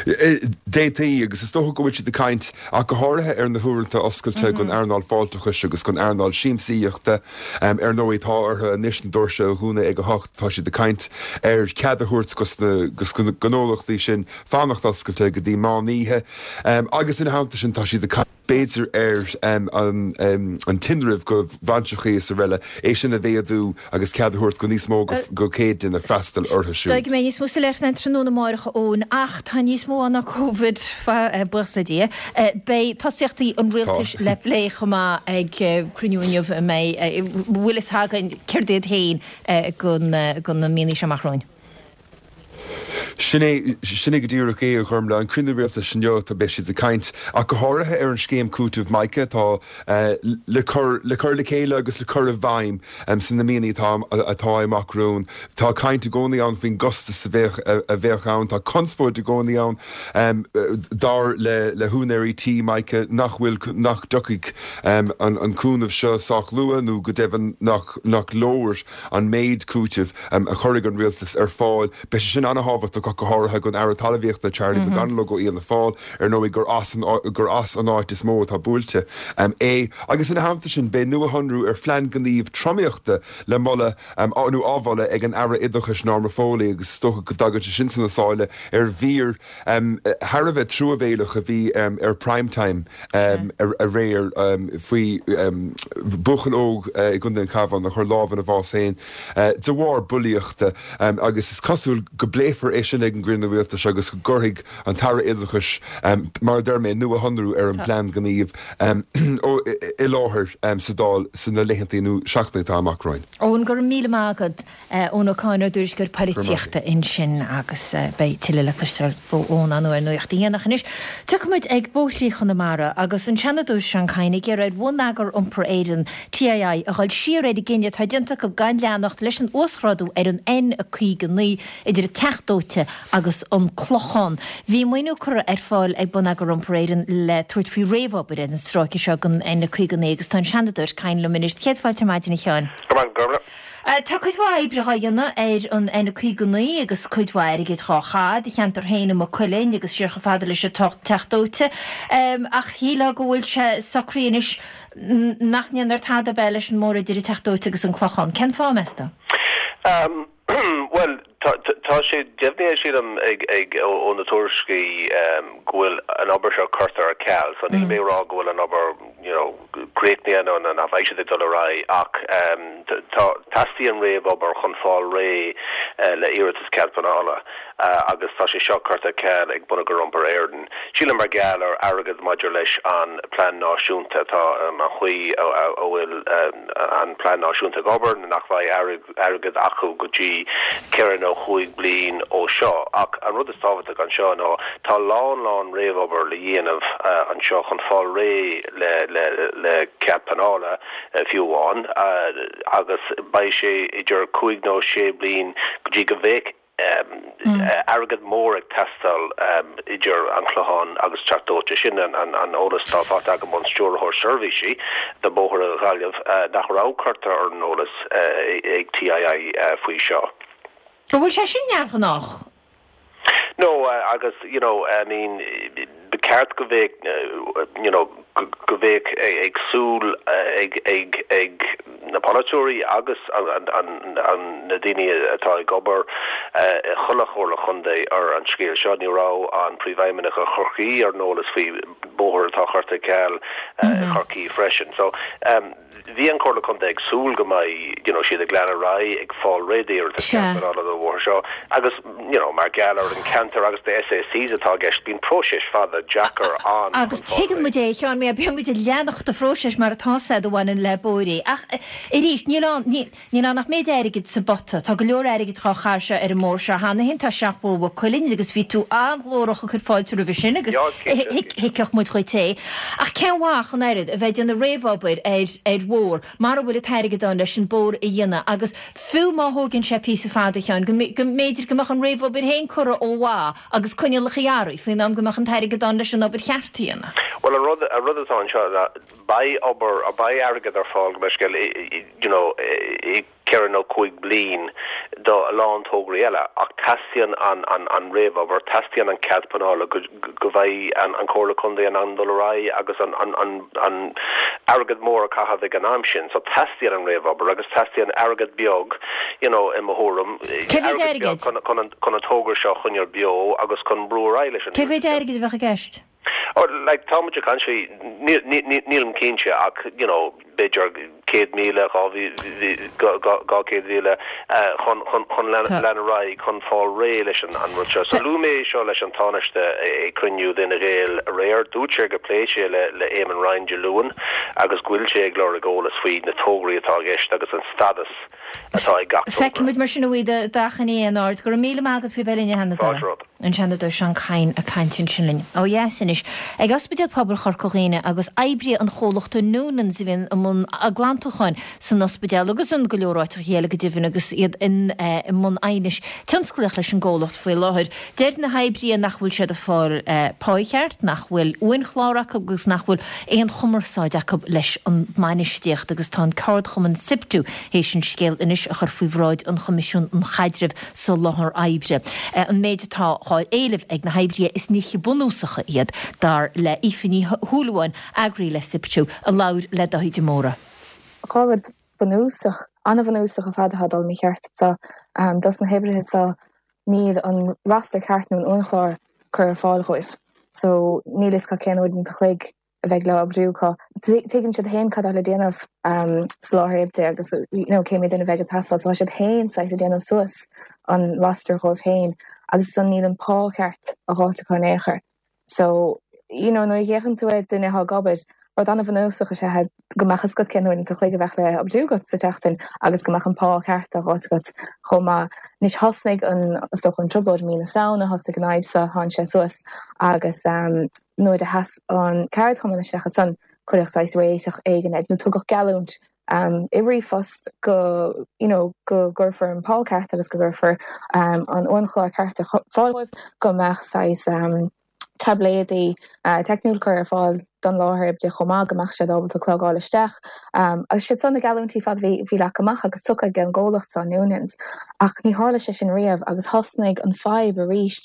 D'fhéadfaí, agus is dócha go bhfuil siad ag caint ach go háirithe ar na huaireanta oscailte don earnáil fáilteachais agus don earnáil siamsaíochta. Ar ndóigh, tá orthu anois na doirse a dhúnadh ag a hocht. Tá siad ag caint ar chead a thabhairt dos na gnólachtaí sin fanacht oscailte go dtí meán oíche. Agus ina theannta sin, tá siad ag caint. b'fhéidir ar an tinreamh do bhainseachaí is araile, é sin a mhéadú agus cead a thabhairt do níos mó go 100 duine freastal orthu siúd. Dóigh go mbeidh níos mó soiléireachta ann tráthnóna amáireach, a Eoin, ach tá níos mó ann ná Covid, buíochas le Dia. Beidh tosaíochtaí an rialtais le plé chomh maith ag cruinniú inniu a mbeidh, bhfuil fhios againn céard iad féin do na míonna seo amach romhainn. Sin é, sin é go díreach é, a Ghormlaith. An cruinniú rialtais inniu, tá, beidh siad ag caint ach go háirithe ar an scéim cúitimh Mica atá le cur, le cur le chéile agus le cur i bhfeidhm sna míonna atá, atá amach romhainn. Tá caint i gcónaí ann faoin gcostas a bheadh, a bheadh ann. Tá conspóid i gcónaí ann, dar le, le húinéirí tí Mica nach bhfuil, nach dtiocfaidh an, an cúnamh seo sách luath nó go deimhin nach, nach leor an méid cúitimh a chuirfidh an rialtas ar fáil. Beidh sé sin an-thábhachtach ach go háirithe don Aire Talmhaíochta, Charlie McConalogue ó Fhianna Fáil, ar ndóigh gur as an gur as an áit is mó atá buailte é. Agus ina theannta sin, beidh nuashonrú ar phlean gnímh tromaíochta le moladh nó á mholadh ag an Aire Oideachais Norma Foley agus is dócha go dtagann sé sin sna sála ar mhír thar a bheith truamhéileach a bhí ar Prime Time aréir faoi bhuachaill óg i gContae an Chabháin a chuir lámh ina bhás féin de bharr bulaíochta agus is cosúil go bpléifear é sin ag an gcruinniú rialtais agus go gcuirfidh an tAire Oideachais, mar a deir mé, nuashonrú ar an bplean gnímh i láthair sa Dáil sna laethanta nó seachtainí atá amach romhainn. Eoin, go raibh míle maith agat. Eoin Ó Cadhain, ár dtuairisceoir poilitíochta ansin agus beidh tuilleadh le cloisteáil ó Eoin ar ndóigh ar Nuacht a hAon. Ach anois, tiocfaimid ag bóithrí Chonamara agus an Seanadóir Seán Kyne ag iarraidh ar Bhonneagar Iompair Éireann, TII, a dhul siar ar an gcinneadh atá déanta acu gan leanacht leis an uasghrádú ar an N59 idir an Teach Dóite agus an Clochán. Bhí maoiniú curtha ar fáil ag Bonneagar Iompair Éireann le tabhairt faoi réamhobair ar an stráice seo den N59 agus tá an Seanadóir Kyne liom anois. Céad fáilte ar maidin, a Sheáin. Go raibh maith agat. Tá cuid mhaith oibre dhá dhéanamh ar an N59 agus cuid mhaith airgid dhá chaitheamh do cheantar féin i Maigh Cuilinn agus siar chomh fada leis an Teach Dóite. Ach shílfeá go bhfuil sé socraithe anois nach ndéanfar tada ab ea leis an mbóthar idir an Teach Dóite agus an Clochán. Cén fáth, meas tú? Bhuel. Tá sé deimhnithe, sílim, ag ó na tuairiscí go bhfuil an obair seo curtha ar ceal. So níl mé ag rá go bhfuil an obair you know críochnaithe nó nach mbeidh siad ag dul ar aghaidh ach tá, teastaíonn réamhobair chun fáil réidh le iarratas cead pleanála agus tá sé seo curtha ar ceal ag Bonneagar Iompair Éireann, sílim mar gheall ar airgead maidir leis an plean náisiúnta, tá an chaoi a bhfuil an plean náisiúnta ag obair nach mbeidh airgead acu go dtí ceithre nó chúig bliain ó seo. Ach an rud is tábhachtach anseo ná tá a lán lán réamhobair le dhéanamh anseo chun fáil réidh le le cead pleanála fiú amháin agus beidh sé idir cúig nó sé bliain go dtí go mbeidh airgead mór ag teastáil idir an Clochán agus Teach Dóite. Sin an eolas atá faighte agam ón Stiúrthóir Seirbhísí do Bhóithre Ghaillimh nach raibh curtha ar an eolas ag TII faoi seo. An bhfuil sé sin neamhghnách? No, agus you know, I mean, ba cheart go mbeadh, you know, go mbeadh ag súil ag ag ag na polaiteoirí agus an an an na daoine atá ag obair i chuile chomhairle chontae ar an scéal seo. Ní raibh an Príomhfheidhmeannach i Chorcaí ar an eolas faoi bóthar atá curtha ar ceal i Chorcaí freisin. So, Bhí an Comhairle Contae ag súil go mbeidh you know siad ag lean ar aghaidh ag fáil réidh d'iarratas cead pleanála don bhóthar seo agus you know mar gheall ar an ceantar agus na SACs atá i gceist bíonn próiseas fada deacair ann Agus chun fáil tuigeann réidh. muid é a Sheáin mar bíonn muid ag leanacht an phróiseas mar atá sé a bhaineann le bóithre ach arís níl ann ní Níl ann ach méid airgid sa bpota. Tá go leor airgid dhá chaitheamh seo ar an mbóthar seo cheana féin. Tá seachbhóthar Mhaigh Cuilinn agus bhí tú an-ghlórach ag cur fáilte roimhe sin agus thuigfeadh muid dhuit é. Ach cén mhaith ach an oiread a bheith ag déanamh réamhobair ar ar bhóthar mara bhfuil an t-airgead ann leis an bóthar a dhéanamh agus fiú má thóigeann sé píosa fada a Sheáin go mb'fhéidir go mbeadh an réamhobair féin curtha ó mhaith agus coinníollacha athraithe faoin am go mbeadh an t-airgead ann leis an obair cheart a dhéanamh. Bhuel an rud an rud atá anseo ná Beidh obair, beidh airgead ar fáil go mbeidh scéal you know i gceithre nó chúig bliain do a lán tograí eile ach teastaíonn an an an réamhobair, teastaíonn an cead pleanála go go mbeidh an an Comhairle Contae in ann dul ar aghaidh agus an an an an airgead mór a chaitheamh ag an am sin. So teastaíonn an réamhobair agus teastaíonn airgead beag you know i mo thuairim, Cé mhéad airgead beag airgid? chun chun an chun an togra seo a choinneáil beo agus chun brú ar aghaidh leis an Cé mhéad airgid a bheadh i gceist? Oh, like, tá muid ag caint faoi, nílim cinnte ach, you know, b'fhéidir 100,000, 200,000 chun, chun, chun lean ar aghaidh, chun fáil réidh leis an rud seo. So luaigh mé é seo leis an Tánaiste ag cruinniú d'Fhine Gael aréir. Dúirt sé gur phléigh sé le, le Eamon Ryan Dé Luain agus go bhfuil sé ag lorg eolas faoi na tograí atá i gceist agus an stadas atá ag gach togra. Feicfimid mar sin a bhuí d'achainí in aird. Go raibh míle maith agat faoi bheith linn a Sheanadóir. Fáilte romhat. An Seanadóir Seán Kyne ag caint ansin linn. Ó dheas anois, ag Ospidéal Pobail Chorca Dhuibhne agus oibrithe an chomhlachta Noonans a bhíonn i mbun glantúcháin san ospidéal agus in go leor áiteacha eile go deimhin agus iad i mbun aighnis tionsclaíoch leis an gcomhlacht faoi láthair. Deir na hoibrithe nach bhfuil siad ag fáil páí cheart, nach bhfuil uainchlár acu agus nach bhfuil aon chumarsáid acu leis an mbainistíocht agus tá an ceardchumann Siptu théis an scéal anois a chur faoi bhráid an Choimisiúin um Chaidreamh sa Láthair Oibre. An méid atá dhá éileamh ag na hoibrithe is nithe bunúsacha iad, dar le Aoife Ní Shúilleabháin, eagraí le Siptu, a labhair le Dáithí de Mórdha. Dhá rud bunúsach, an-bhunúsach ar fad atá ag dul mícheart anseo dos na hoibrithe seo, níl an roster ceart nó an uainchlár curtha ar fáil dhóibh. So níl fhios acu cén uaireanta a chloig a bheidh le oibriú acu. Tuigeann siad féin cad tá le déanamh sa láthair oibre agus you know cé mhéad duine a bheidh ag teastáil so tá siad féin saghas ag déanamh suas an roster dhóibh féin agus ansan níl an pá ceart á dh'fháilt acu in aon chor. So you know nuair a fhéachann tú ar duine atá ag obair, rud an-bhunúsach is ea go mbeadh fhios agat cén uaireanta a chloig a bheadh le oibriú agat sa tseachtain agus go mbeadh an pá ceart á dh'fháilt agat chomh maith. Anois thosnaigh an is dócha an trioblóid i mí na Samhna, thosaigh an fhadhb seo, tháinig sé suas agus nuair a sheas an ceardchumann isteach ansan cuireadh saghas réiteach éigin air nó tugadh geallúint i ríomhphost go you know go gcuirfear an pá ceart agus go gcuirfear an uainchlár ceart ar fáil dóibh, go mbeadh saghas taibléadaí teicniúil curtha ar fáil don láthair oibre chomh maith, go mbeadh siad ábalta clogáil isteach. Agus siad san na geallúintí ar fad a bhí bhí leagtha amach agus tugtha ag an gcomhlacht seo, Noonans. Ach ní tharla sé sin riamh agus thosnaigh an fadhb arís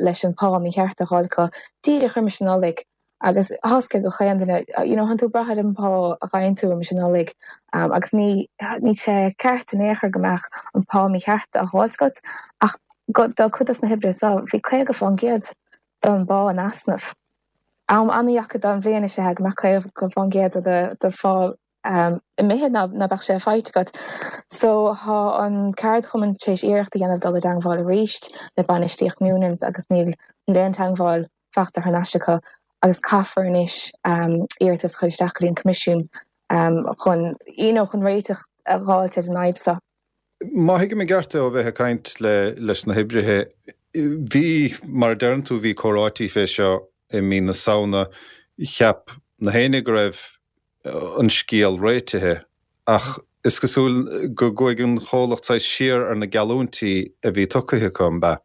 leis an pá mícheart a dh'fháil acu díreach roimis an Nollaig. Agus tá a fhios ag gach aon duine, you know, tánn tú ag brath ar an bpá a fhaigheann tú roimis an Nollaig agus ní, níl sé ceart in aon chor go mbeadh an pá mícheart á dh'fháilt agat ach go, do cuid dos na hoibrithe seo, bhí 50% don bpá in easnamh. Am an-dheacair don bhliain is ea go mbeadh 50% de do phá imithe ná beadh sé faighte agat. So thá an ceardchumann tar éis iarracht a dhéanamh dul i dteangmháil arís le bainistíocht Noonans agus níl níl aon teangmháil fachta thar n-ais acu agus caithfear anois iarratas a chur isteach go dtí an Coimisiún chun you know chun réiteach a dh'fháilt ar an fhadhb seo. Má thuigim i gceart é ó bheith ag caint le leis na hoibrithe, bhí, mar a deireann tú, bhí comhráití fé seo i mí na Samhna, cheap na héinne go raibh an scéal réitithe ach is cosúil go gcuaigh an chomhlacht saghas siar ar na geallúintí a bhí tugtha acu, an b'ea?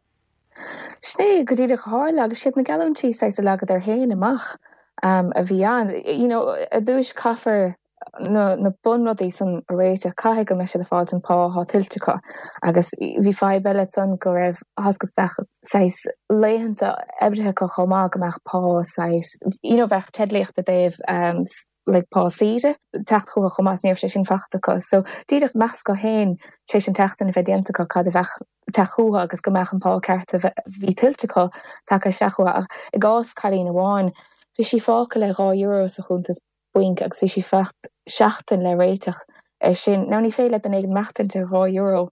Sin é go díreach a tharla agus siad na geallúintí saghas a leagadar féin amach a bhí ann. You know, ar dtúis caithfear na na bunrudaí san a réiteach, caithfidh go mbeidh siad ag fáilt an pá atá tuillte acu agus bhí fadhb eile ansan go raibh, tá a fhios agat, bheadh saghas laethanta oibrithe acu chomh maith go mbeadh pá saghas, you know bheadh teidlíocht i dtaobh like pá saoire teacht chucu chomh maith is ní raibh sé sin fachta acu. So díreach meas acu féin tar éis an tseachtain a bheith déanta acu cad a bheadh teacht chucu agus go mbeadh an pá ceart a bhí tuillte acu tagtha isteach chucu. Ach i gcás cailín amháin bhí sí fágtha le €2 sa chuntas bainc agus bhí sí fachta seachtain le réiteach ar sin. Now ní féidir le duine éigin maireachtaint ar €2.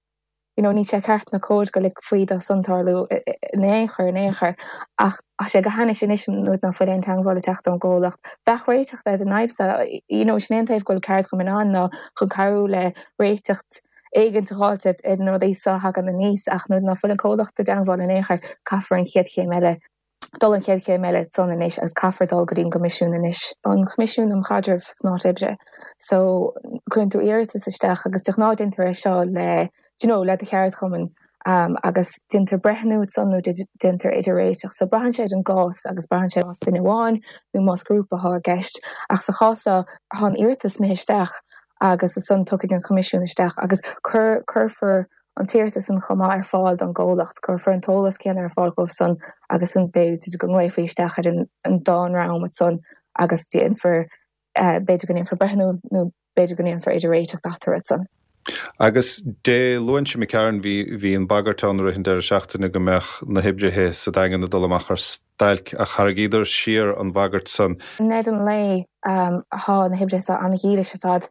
You know, níl sé ceart ná cóir go ligfí dó san tarlú in aon chor, in aon chor. Ach tá sé go hainnis anois nuair ná fuil aon teangmháil ag teacht ón gcomhlacht. Bheadh réiteach ar an fhadhb seo, you know, sin é an taobh go bhfuil ceardchumainn ann ná chun cabhrú le réiteacht éigint a dh'fháilt ar na rudaí seo a thagann aníos ach nuair ná fuil an comhlacht i dteangmháil in aon chor, caithfear an chéad chéim eile. dul an chéad chéim eile san anois agus caithfear dul go dtí an gCoimisiún anois, an Coimisiún um Chaidreamh san Áit Oibre. So, cuireann tú iarratas isteach agus de ghnáth déantar é seo le, do you know, le do cheardchumann agus déantar breithniú ansan nó déantar idir-réiteach. So, braitheann sé ar an gcás agus braitheann sé más duine amháin nó más grúpa atá i gceist. Ach sa chás seo, tá an iarratas imithe isteach agus ansan tiocfaidh an Coimisiún isteach agus cuirfear an t-iarratas san chomh maith ar fáil don gcomhlacht, cuirfear an t-eolas céanna ar fáil dhóibh san agus an b'fhéidir go nglaofaí isteach ar an dá dhream ansan agus déanfar, b'fhéidir go ndéanfar breithniú nó b'fhéidir go ndéanfar idir-réiteach eatarthu ansan. Agus Dé Luain seo imigh tharainn bhí, bhí an bhagairt ann i rith an deireadh seachtaine go mbeadh na hoibrithe sa Daingean ag dul amach ar stailc ach tharraingíodar siar an bhagairt san. I ndeireadh an lae thá na hoibrithe seo an-dhílis ar fad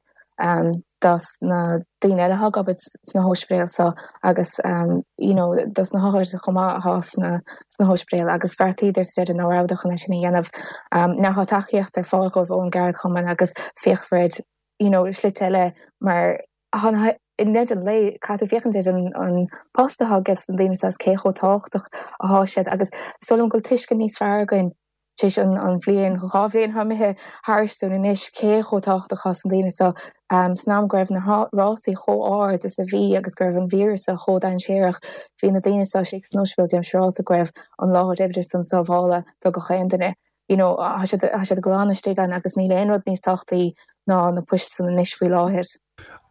dos na daoine eile athá ag obair sna hóispidéil seo agus you know dos na hothair chomh maith athá sna sna hóispidéil agus bheartaíodar sa deireadh ná rabhadar chun é sin a dhéanamh. Now thá tacaíocht ar fáil dhóibh ón gceardchumann agus féachfar ar you know slite eile mar thá na i ndeireadh an lae caithfidh tú féachaint ar an an post athá ages na daoine seo is cé chomh tábhachtach athá siad agus is dóigh liom go bhfuil tuiscint níos fearr againn tar éis an bhliain, 2 bhliain atá imithe thairis dúinn anois, cé chomh tábhachtach atá na daoine seo san am go raibh na rátaí chomh ard is a bhí agus go raibh an víreas seo chomh dainséarach, bhí na daoine seo istigh san ospidéal déanaim siúrálta go raibh an láthair oibre san sábhála do gach aon duine. You know, tá siad, tá siad glan istigh ann agus níl aon rud níos tábhachtaí ná na poist san anois faoi láthair.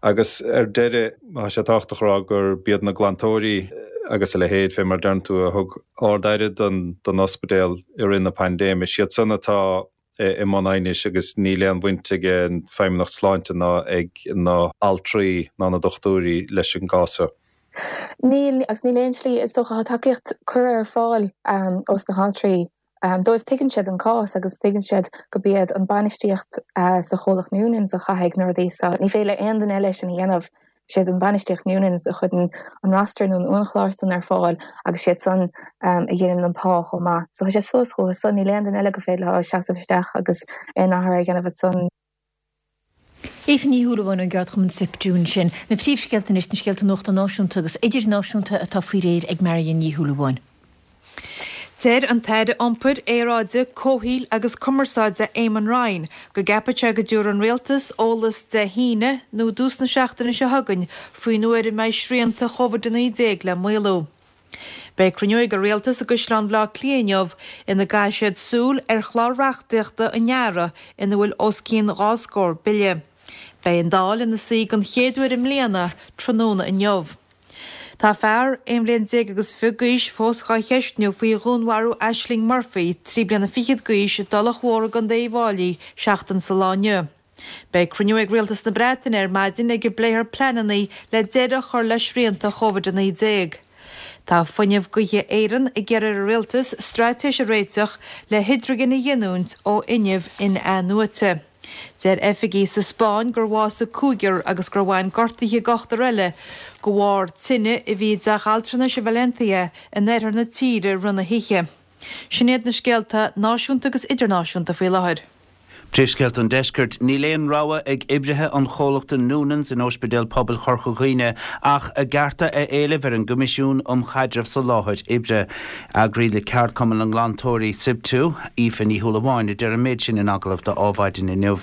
Agus ar deireadh, tá sé tábhachtach a rá gurb iad na glantóirí agus a leithéid, fé mar a deireann tú, a thug ard-aire don ospidéal i rith na paindéime. Is iad san atá i mbun aighnis agus níl aon bhaint ag an Feidhmeannacht Sláinte ná ag na altraí ná na dochtúirí leis an gcás seo. Níl, agus níl aon slí, is dócha, tá tacaíocht curtha ar fáil ós na haltraí dóibh. Tuigeann siad an cás agus tuigeann siad gurb iad an bainistíocht sa chomhlacht Noonans a chaithfidh na rudaí seo. Ní féidir le aon duine eile sin a dhéanamh. Siad an bainistíocht Noonans a chuireann an roster nó an uainchlár san ar fáil agus siad san a dheineann an pá chomh maith. So tá sé suas chucu san. Níl aon duine eile gur féidir leo seasamh isteach agus aon athrú a dhéanamh ansan. Aoife Ní Shúilleabháin ón gceardchumann SIPTU ansin. Na príomhscéalta anois, na scéalta nuachta náisiúnta agus idirnáisiúnta atá faoi réir ag Marion Ní Shúilleabháin. Deir an tAire Iompair, Aeráide, Comhshaoil agus Cumarsáide Eamon Ryan go gceapann sé go dtabharfaidh an Rialtas eolas Dé hAoine nó i dtús na seachtaine seo chugainn faoin uair a mbeidh srianta Covid-19 le maolú. Beidh cruinniú ag an Rialtas i gCaisleán Bhaile Átha Cliath inniu ina gcaithfidh siad súil ar chlár reachtaíochta an earraigh ina bhfuil os cionn 2 scór bille. Beidh an Dáil ina suí den chéad uair i mbliana tráthnóna inniu. Tá fear, 11 bhliain agus fiche d'aois, fós dhá cheistniú faoi dhúnmharú Ashling Murphy, 3 bliana fichead d'aois, i dTulach Mhór i gContae Uíbh Fháilí, seachtain sa lá inniu. Beidh cruinniú ag Rialtas na Breataine ar maidin ag a bpléifear pleananna le deireadh a chur le srianta Covid-19. Tá Fuinneamh Gaoithe Éireann ag iarraidh ar an Rialtas straitéis a réiteach le hidrigin a ghiniúint ó fhuinneamh in-athnuaite. Deir oifigigh sa Spáinn gur bhásaigh cúigear agus gur bhain gortuithe d'ochtar eile de bharr tine a bhí i dteach altranais i Valencia in oirthear na tíre rith na hoíche. Sin iad na scéalta náisiúnta agus idirnáisiúnta faoi láthair. Príomhscéalta an Deiscirt, Níl aon rogha ag oibrithe an chomhlachta Noonans in Ospidéal Pobail Chorca Dhuibhne ach a gcearta a éileamh ar an gCoimisiún um Chaidreamh sa Láthair Oibre. Eagraí le Ceardchumann na nGlantóirí, Siptu, Aoife Ní Shúilleabháin, a deir an méid sin in agallamh do Adhmhaidin inniu.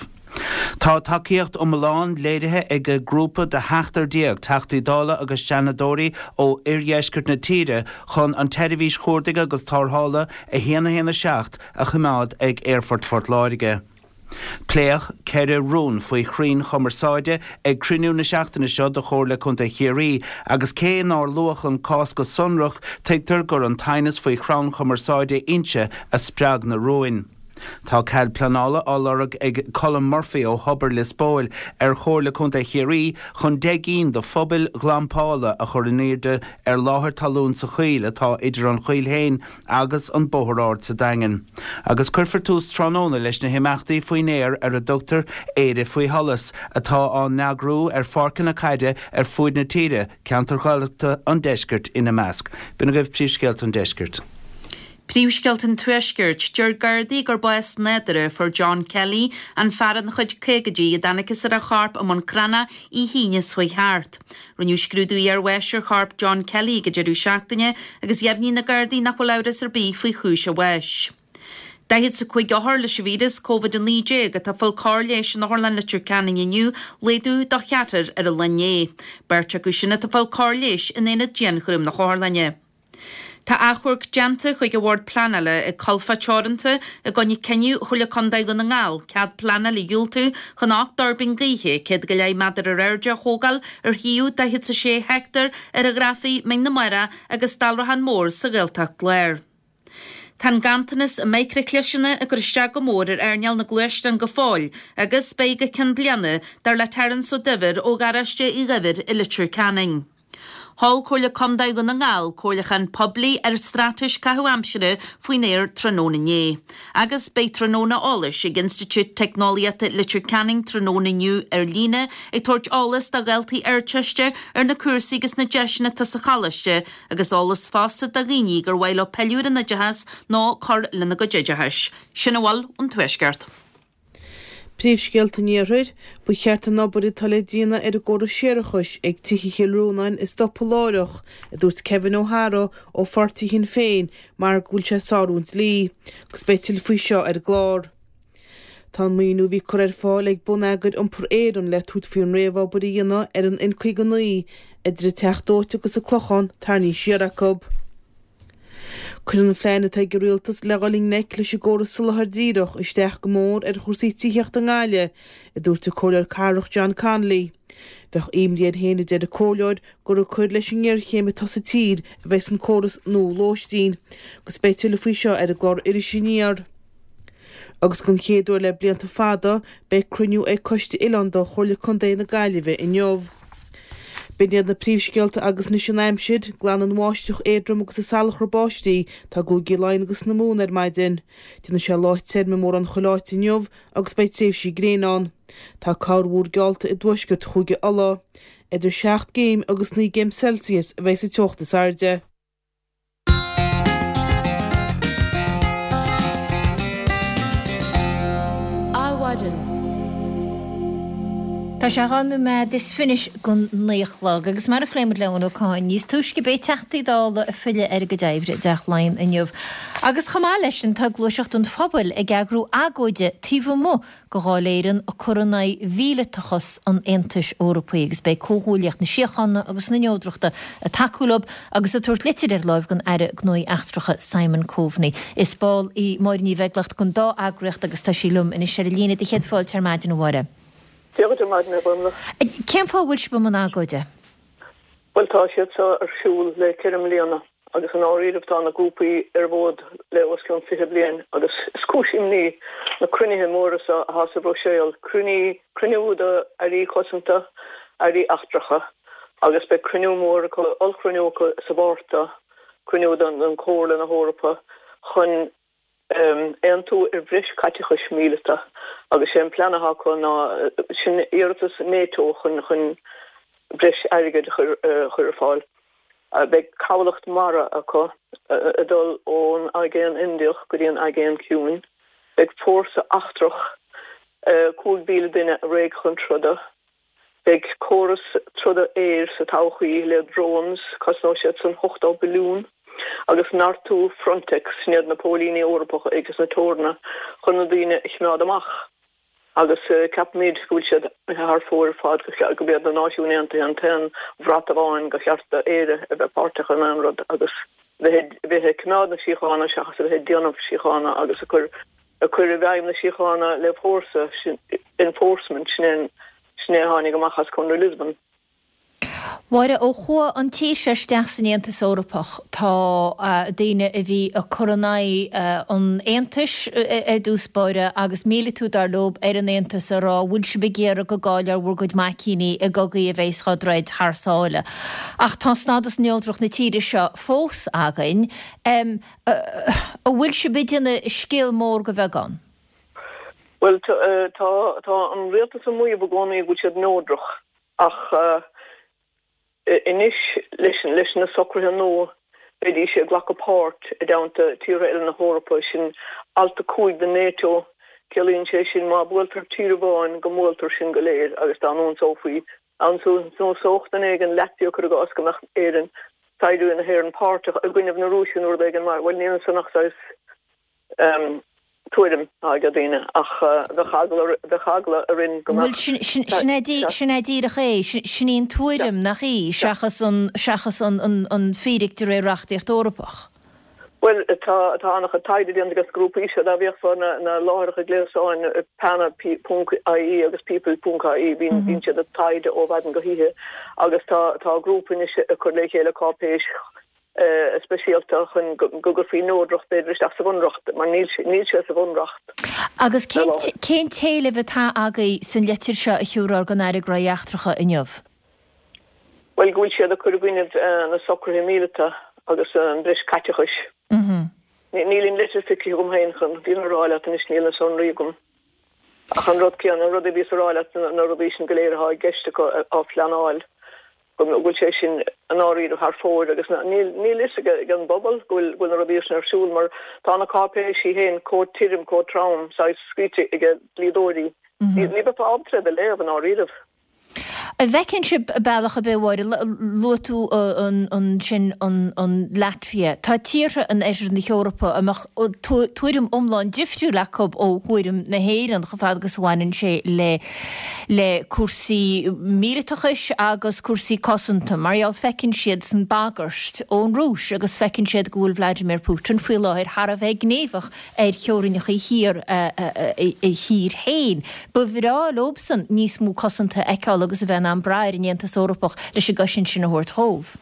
Tá tacaíocht iomlán léirithe ag grúpa de sheachtar déag Teachtaí Dála agus Seanadóirí ó oirdheisceart na tíre chun an tseirbhís chuardaigh agus tarrthála 1 1 7 a choimeád ag Aerfort Phort Láirge. Pléadh 4 rún faoi chrainn chumarsáide ag cruinniú na seachtaine seo de Chomhairle Contae Chiarraí agus cé nár luadh an cás go sonrach, tuigtear gur an t-aighneas faoi chrann cumarsáide Inse a spreag na rúin. Tá cead pleanála á lorg ag Colm Murphy ó Thobar Lios Póil ar Chomhairle Contae Chiarraí chun 10 gcinn de phubaill ghlampála a chur in airde ar láthair talún sa choill atá idir an choill féin agus an Bóthar Ard sa Daingean. Agus cuirfear tús tráthnóna leis na himeachtaí faoin aer ar a dtugtar Éire Faoi Sholas, atá á n-eagrú ar pháirceanna caide ar fuaid na tíre, ceantair Ghaeltachta an deiscirt ina measc. B'in agaibh príomhscéalta an deiscirt. Príomhscéalta an Tuaiscirt, Deir Gardaí gur bás nádúrtha a fuair John Kelly, an fear ina chuid caogaidí a dtángthas ar a chorp i mBun Cranncha oíche hAoine seo chuaigh thart. Rinneadh scrúdú iarbháis ar chorp John Kelly ag an deireadh seachtaine agus dheimhnigh na Gardaí nach bhfuil amhras ar bith faoi chúis a bháis. 45 othar leis an víreas Covid-19 atá ag fáil cóir leighis in Otharlann Leitir Ceanainn inniu, laghdú do cheathrar ar an lá inné. Beirt acu sin atá ag fáil cóir leighis in aonad dianchúraim na hotharlainne. Tá achomharc déanta chuig an Bhord Pleanála ag Colfá Teoranta i gcoinne cinneadh Chomhairle Contae Dhún na nGall cead pleanála a dhiúltú chun 8 dtuirbín gaoithe, 100 go leith méadar ar airde a thógáil ar shuíomh 46 heicteár ar an Ghrafaidh, Mín na Mara agus Dalrachán Mór sa Ghaeltacht Láir. Tá an ganntanas i micreachliseanna ag cur isteach go mór ar earnáil na ngluaisteán go fóill agus beidh go ceann bliana, dar le Terence Ó Duibhir ó Gharáiste Uí Dhuibhir i Leitir Ceanainn. Sheol Comhairle Contae Dhún na nGall comhairliúchán poiblí ar Straitéis Caitheamh Aimsire faoin aer tráthnóna inné. Agus beidh tráthnóna eolais ag Institiúid Teicneolaíochta Leitir Ceanainn tráthnóna inniu ar líne ag tabhairt eolas do dhaltaí Ardteiste ar na cúrsaí agus na deiseanna atá sa choláiste agus eolas fosta do dhaoine gur mhaith leo pilleadh ar an oideachas nó cur lena gcuid oideachais. Sin a bhfuil ón Tuaisceart. Príomhscéalta an Iarthair, Ba cheart an obair atá le déanamh ar an gcóras séarachais ag tithe Chill Rónáin a stopadh láithreach, a dúirt Kevin O'Hara ó pháirtí Shinn Féin, mar go bhfuil sé ag sárú an dlí. Agus beidh tuilleadh faoi seo ar an gclár. Tá an maoiniú a bhí curtha ar fáil ag Bonneagar Iompair Éireann le tabhairt faoi an réamhobair a dhéanamh ar an N59 idir an Teach Dóite agus an Clochán tarraingthe siar acu. Cuireann an phlean atá ag an Rialtas le dhul i ngleic leis an gcóras soláthair díreach isteach go mór ar chúrsaí tithíochta i nGaillimh, a dúirt an Comhairleoir Cathrach John Connolly. Bheadh imní air féin, a deir an Comhairleoir, gur ag cur leis an ngéarchéim atá sa tír a bheas an córas nua lóistín. Agus beidh tuilleadh faoi seo ar an gclár Iris Aniar. Agus don chéad uair le blianta fada, beidh cruinniú ag Coiste Oileánda Chomhairle Contae na Gaillimhe inniu. B'in iad na príomhscéalta agus anois an aimsir, glanfaidh an bháisteach éadrom agus an salachar báistí atá i gCúigí Laighean agus na Mumhan ar maidin. Déanfaidh sé lá tirim i mórán chuile áit inniu agus beidh tréimhsí gréine ann. Tá corrmhúr geallta i dtuaisceart Chúige Uladh. Idir 7 gcéim agus 9 gcéim Celsius a bheidh sa teocht is airde. Adhmhaidin. Tá sé 12 nóiméad is fiche don 9 a chlog agus mar a phléigh muid le Eoin Ó Catháin níos túisce beidh Teachtaí Dála ag filleadh ar a gcuid oibre i dTeach Laighean inniu. Agus chomh maith leis sin tá Gluaiseacht an Phobail ag eagrú agóide taobh amuigh de Dháil Éireann ag cur in aghaidh mhíleatachas an Aontais Eorpaigh agus beidh Comhghuaillíocht na Síochána agus na Neodrachta ag tacú leo agus ag tabhairt litir ar láimh don Aire Gnóthaí Eachtracha Simon Coveney. Is ball í Máire Ní Bheaglaoich den dá eagraíocht agus tá sí liom anois ar an líne. Do chéad fáilte ar maidin, a Mháire. Dia dhuit ar maidin, a Ghormlaith. Cén fáth a bhfuil sibh i mbun agóide? Bhuel, tá siad seo ar siúl le 4 mbliana agus i ndáiríribh tá na grúpaí ar an bhfód le os cionn 20 bliain agus is cúis imní na cruinnithe móra seo atá sa Bhruiséil, cruinniú do airí cosanta, airí eachtracha agus beidh cruinniú mór acu, ollchruinniú acu sa Mhárta, cruinniú don Chomhairle na hEorpa chun aontú ar bhreis caiteachais míleata agus sé an plean atá acu ná sin iarratas NATO chun chun breis airgid a chur ar fáil. Beidh cabhlach mara acu ag dul ón Aigéan Indiach go dtí an Aigéan Ciúin. Beidh fórsa eachtrach 5,000 duine réidh chun troda. Beidh córas troda aeir sa todhchaí le drones, cosnóidh siad san 80 billiún, agus neartú Frontex, sin iad na póilíní Eorpacha ag na teoranna chun na daoine a chimeád amach. Agus ceapaimid go bhfuil siad imithe thar fóir ar fad, go b'iad na Náisiúin Aontaithe an t-aon bhrat amháin gur cheart do Éire a bheith páirteach in aon rud agus bheith ag coimeád na síochána seachas a bheith ag déanamh síochána agus ag cur ag cur i bhfeidhm na síochána le fórsa, enforcement, sin é, sin é a tháinig amach as Conradh Lisbon. Mháire, ó chuaigh an tír seo isteach san Aontas Eorpach, tá daoine a bhí ag cur in aghaidh an Aontais ar dtús báire agus míleatú dar leob ar an Aontas ag rá bhfuil sibh ag iarraidh go gcaillfear bhur gcuid maicíní i gcogaí a bheas á dtroid thar sáile. Ach tá stádas neodrach na tíre seo fós againn. An bhfuil sibh ag déanamh scéal mór de bheagán? Bhuel, tá, tá an rialtas ag maíomh i gcónaí go bhfuil siad neodrach ach anois leis, leis na socruithe nua beidís ag glacadh páirt i dteannta tíortha eile na hEorpa, sin alt 5 de NATO, ciallaíonn sé sin má buailtear tír amháin go mbuailtear sinn go léir agus dá n-ionsófaí Dá n-ionsódh duine éigin Latvia cuir i gcás go mbeadh Éirinn, saighdiúirí na hÉireann páirteach i gcoinnibh na Rúise nó rud éigin mar, bhuel níl ansan ach saghas tuairim atá ag daoine ach bheadh eagla, bheadh eagla orainn go mbeadh. Bhuel sin, sin é, sin é díreach é, sin í an tuairim, nach í, seachas an, seachas an, an, an fíric de réir reachtaíocht Eorpach. Bhuel, tá an-chuid taighde déanta ages na grúpaí seo, dá bhféachfá ar na láithreacha gréasáin PENA ponc ie agus People ponc ie, bíonn bíonn siad ag taighde ó mhaidin go hoíche agus tá tá grúpa anois ag cur le chéile cáipéis speisialta chun go gcuirfí neodracht b'fhéidir isteach sa bhunreacht mar níl níl sé sa bhunreacht. Agus cén cén t-éileamh atá agaibh san litir seo a thiúrfar don Aire Gnóthaí Eachtracha inniu? Bhuel, go bhfuil siad ag cur i gcoinnibh na socruithe míleata agus an bhreis caiteachais. Níl an litir feicthe agam féin chun an fhírinne a rá leat anois, níl na sonraí agam. Ach an rud céanna, an rud a bhíos a rá leat, na rudaí sin go léir atá i gceist acu á phleanáil, go bhfuil sé sin i ndáiríre thar fóir agus níl fhios ag an bpobal go bhfuil na rudaí sin ar siúl mar tá na cáipéisí féin chomh tirim, chomh trom, saghas scríte ag dlíodóirí. Ní bheifeá ábalta iad a léamh i ndáiríribh. An bhfeiceann sibh bealach ar bith, a Mháire, luaigh tú ansin an Laitvia, tá tíortha in oirthear na hEorpa a mbeadh tuairim iomlán difriúil acu ó thuairim na hÉireann chomh fada agus a bhaineann sé le le cúrsaí míleatachais agus cúrsaí cosanta mar gheall feiceann siadsan bagairt ón Rúis agus feiceann siad go bhfuil Vladimir Putin faoi láthair thar a bheith gníomhach ar theorainneacha thiar a thír féin. Ba bhreá leobsan níos mó cosanta a fheiceáil agus a bheith in ann brath ar an Aontas Eorpach leis an gcosaint sin a thabhairt dhóibh.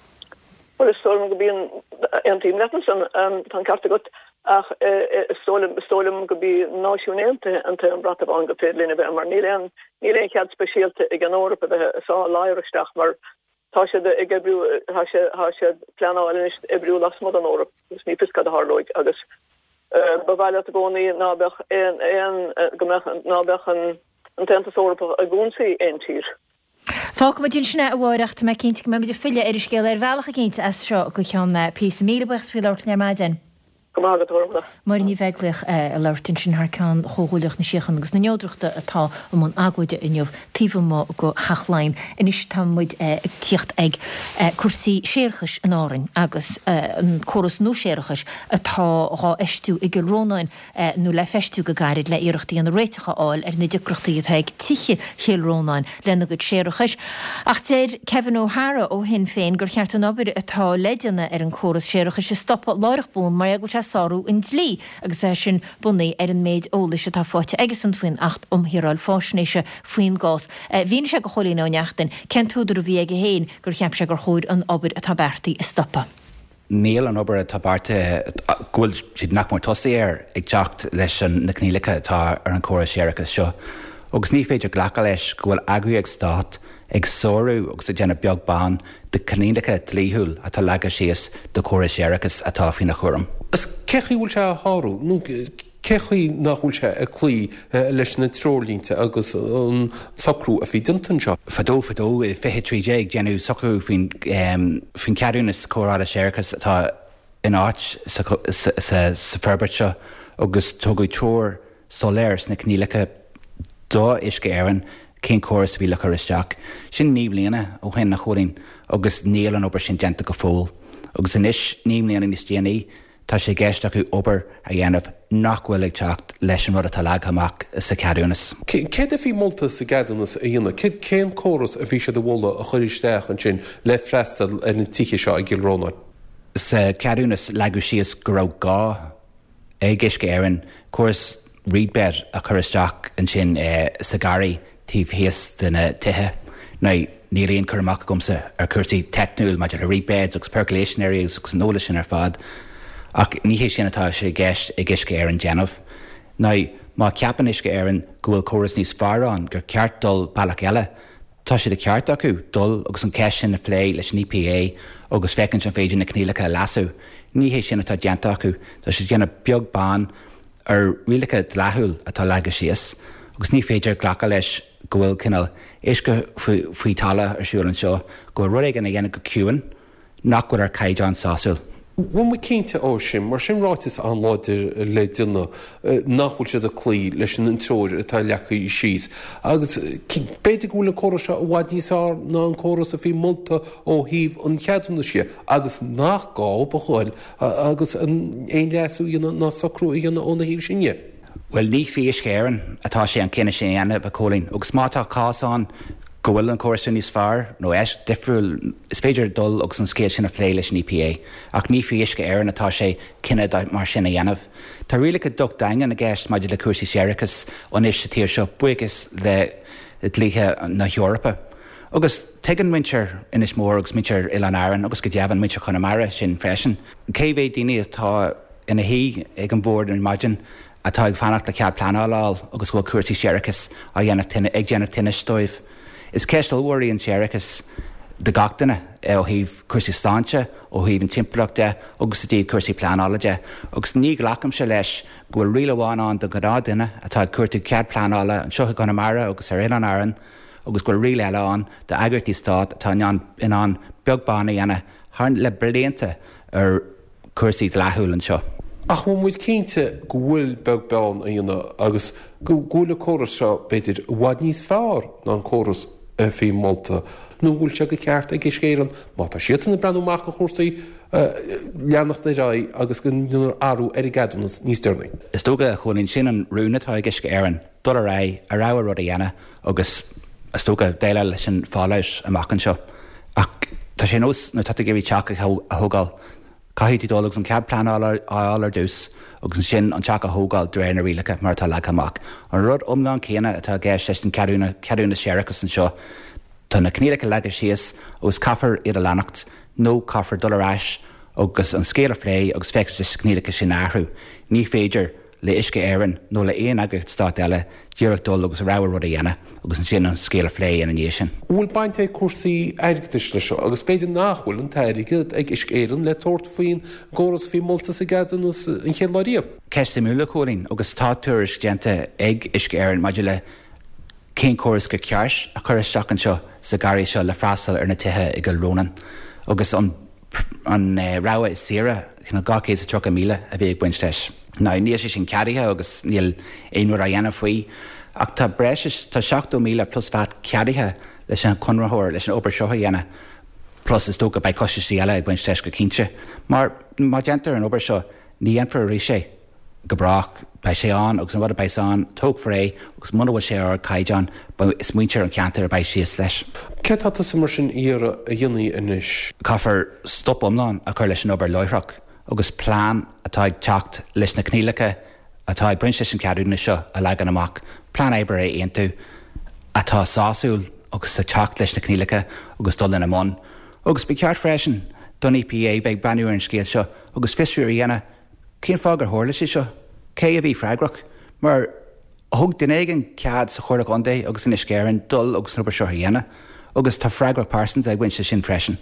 Bhuel, is dóigh liom go mbíonn, aontaím leat ansan, tá an ceart agat, ach is dóigh liom, is dóigh liom go b'í Náisiúin Aontaithe an t-aon bhrat amháin gur féidir linn a bheith mar níl aon, níl aon chead speisialta ag an Eoraip a bheith ag sá ladhar isteach mar Tá siad ag oibriú, tá sé, tá siad ag pleanáil anois oibriú lasmuigh den Eoraip agus ní fios cad a tharlóidh agus ba mhaith leat i gcónaí ná beadh aon, aon, go mbeadh, ná beadh an, an tAontas Eorpach ag ionsaí aon tír. Fágfaimid ansin é, a Mháire, ach tá mé cinnte go mbeimid ag filleadh ar an scéal ar bhealach eicínt as seo go ceann píosa. Míle buíochas faoi labhairt linn ar maidin. Go maith agat, a Ghormfhlaith. Máire Ní Bheaglaoich ag labhairt ansin thar ceann Chomhghuaillíocht na Síochána agus na Neodrachta atá i mbun agóide inniu taobh amuigh de Theach Laighean. Anois tá muid ag tíocht ag cúrsaí séarachais in Árainn agus an córas nua séarachais atá dhá fheistiú i gCill Rónáin. nó le feistiú go gairid le iarracht a dhéanamh réiteach a fháil ar na deacrachtaí atá ag tithe Chill Rónáin lena gcuid séarachais. Ach deir Kevin O'Hara ó Shinn Féin gur cheart an obair atá le déanamh ar an córas séarachais a stopadh láithreach bonn mar go bhfuil sé. sárú an dlí agus é sin bunaithe ar an méid eolais atá faighte aigesan faoin Acht um Shaoráil Faisnéise faoin gcás. Mhínigh sé do Chóilín Ó Neachtain cén t-údar a bhí aige féin gur cheap sé gur chóir an obair atá beartaithe a stopadh. Níl an obair atá beartaithe, go bhfuil siad nach mór tosaithe air, ag teacht leis na coinníollacha atá ar an chóras séarachais seo agus ní féidir glacadh leis go bhfuil eagraíocht stáit ag sárú agus ag déanamh beag beann de choinníollacha dlíthiúil atá leagtha síos do chóras séarachais atá faoina chúram. Is cé chaoi bhfuil sé á shárú? Nó cé chaoi nach bhfuil sé ag cloí leis na treoirlínte agus an socrú a bhí déanta anseo? Fadó fadó i 2013 déanadh socrú faoin faoin cheadúnas cóireála séarachais atá in áit sa sa forbairt seo agus tugadh treoir soiléir sna coinníollacha do Uisce Éireann cén córas a bhí le cur isteach. Sin 9 mbliana ó shin, a Chóilín, agus níl an obair sin déanta go fóill. Agus anois, 9 mbliana níos déanaí, tá sé i gceist acu obair a dhéanamh nach bhfuil ag teacht leis an rud atá leagtha amach sa cheadúnas. Céard a bhí molta sa gceadúnas a dhéanamh? Cén córas a bhí siad a mholadh a chur isteach ansin le freastal ar na tithe seo i gCill Rónáin? Sa cheadúnas leagadh síos go raibh gá ag Uisce Éireann córas reed bed a chur isteach ansin sa gharraí taobh thíos de na tithe. Now, níl aon cur amach agamsa ar chúrsaí teicniúil maidir le reed beds agus percolation areas agus an eolas sin ar fad, ach ní hé sin atá sé i gceist ag Uisce Éireann déanamh. Now, má cheapann Uisce Éireann go bhfuil córas níos fearr ann, gur ceart dul bealach eile, Tá sé de cheart acu dul agus an cheist sin a phlé leis an EPA agus féachaint an féidir na coinníollacha a leasú. Ní hé sin atá déanta acu. Tá siad ag déanamh beag beann ar rialacha dleathúil atá leagtha síos agus ní féidir glacadh leis go bhfuil cineál uisce faoi talamh ar siúl anseo, go bhfuil rud éigin á dhéanamh go ciúin. nach bhfuil ar caighdeán sásúil. Bhfuil muid cinnte ó sin, mar sin ráiteas an-láidir le déanamh nach bhfuil siad ag cloí leis an treoir atá leagtha síos. Agus b'fhéidir go bhfuil an córas seo i bhfad níos fearr ná an córas a bhí molta ó thaobh an cheadúnais dhe agus nach gá a ghoil agus aon leasú a dhéanamh ná socrú a dhéanamh óna thaobh sin dhe. Bhuel, ní faoi Uisce Éireann atá sé an cinneadh sin a dhéanamh, a Chóilín, agus má tá cás ann go bhfuil an córas sin níos fearr nó difriúil, is féidir dul agus an scéal sin a phlé leis an EPA. Ach ní faoi Uisce Éireann atá sé cinneadh mar sin a dhéanamh. Tá rialacha docht daingean i gceist maidir le cúrsaí séarachais anois sa tír seo, buíochas le dlíthe na hEorpa. Agus tuigeann muintir Inis Mór agus muintir Oileáin Árann, agus go deimhin muintir Chonamara sin freisin, cé mhéad daoine atá ina shuí ag an bhord ar maidin atá ag fanacht le cead pleanála a fháil agus go bhfuil cúrsaí séarachais á dhéanamh ag déanamh tinnis dóibh. Is ceist ollmhór í an séarachas do gach duine ó thaobh cúrsaí sláinte, ó thaobh an timpeallacht de agus i dtaobh cúrsaí pleanála de agus ní ghlacaimse leis go bhfuil riail amháin ann don ghnáth dhuine atá ag cuartú cead pleanála anseo i gConamara agus ar Oileáin Árann agus go bhfuil riail eile ann d'eagraíochtaí stáit atá in ann beag beann a dhéanamh thar le blianta ar cúrsaí dleathúil anseo. Ach bhfuil muid cinnte go bhfuil beag beann á dhéanamh agus go bhfuil an córas seo, b'fhéidir, i bhfad níos fearr ná an córas a bhí molta? Nó an bhfuil sé de cheart ag Uisce Éireann, má tá siadsan ag breathnú amach do chúrsaí, leanacht ar aghaidh agus go ndéanfar athrú ar an gceadúnas níos deireanaí? Is dócha, a Chóilín, sin an rún atá ag Uisce Éireann, dul ar aghaidh, a rogha rud a dhéanamh agus, is dócha, déileáil leis an fallout amach anseo. Ach tá sé ar nós nuair atá tú ag iarraidh teach a thógáil, caithfidh tú dul agus an cead pleanála a fháil ar dtús agus ansin an teach a thógáil de réir na rialacha mar atá leagtha amach. An rud iomlán céanna atá i gceist leis an ceadúnas séarachais anseo. Tá na coinníollacha leagtha síos agus caithfear iad a leanacht nó caithfear dul ar ais agus an scéal a phlé agus féachaint leis na coinníollacha sin a athrú. Ní féidir le Uisce Éireann nó le aon eagraíocht stáit eile díreach dul agus a rogha rud a dhéanamh agus ansin an scéal a phlé ina dhiaidh sin. An bhfuil baint ag cúrsaí airgeadais leis seo agus b'fhéidir nach bhfuil an t-airgead ag Uisce Éireann le tabhairt faoin gcóras a bhí molta sa gceadúnas an chéad lá riamh? Ceist suimiúil, a Chóilín, agus tá tuairisc déanta ag Uisce Éireann maidir le cén córas gur ceart a chur isteach anseo sa gharraí seo le freastal ar na tithe i gCill Rónáin agus an an rogha is saoire, cineál 230,000 a bhí ag baint leis. Now níl sé sin ceadaithe agus níl aon rud á dhéanamh faoi ach tá breis is, tá 70,000 plus VAT ceadaithe leis an chonraitheoir leis an obair seo a dhéanamh plus is dócha beidh costaisí eile ag baint leis go cinnte. Mar má déantar an obair seo ní dhéanfar arís é. go brách. Beidh sé ann agus an rud a bheas ann, tógfar é agus muna bhfuil sé ar ardchaighdeán, is muintir an cheantair a bheidh síos leis. Céard tá tusa mar sin a iarraidh a dhéanfaí anois? Caithfear stop iomlán a chur leis an obair láithreach. agus plean atá ag teacht leis na coinníollacha atá ag baint leis an cheadúnas seo a leagan amach, plean oibre a aontú atá sásúil agus ag teacht leis na coinníollacha agus dul ina mbun. Agus ba cheart freisin don EPA bheith ag breathnú ar an scéal seo agus fiosrú a dhéanamh cén fáth gur tharla sé seo, cé a bhí freagrach, mar thug duine éigin cead sa Chomhairle Contae agus in Uisce Éireann dul agus an obair seo a dhéanamh agus tá freagracht pearsanta ag baint leis sin freisin.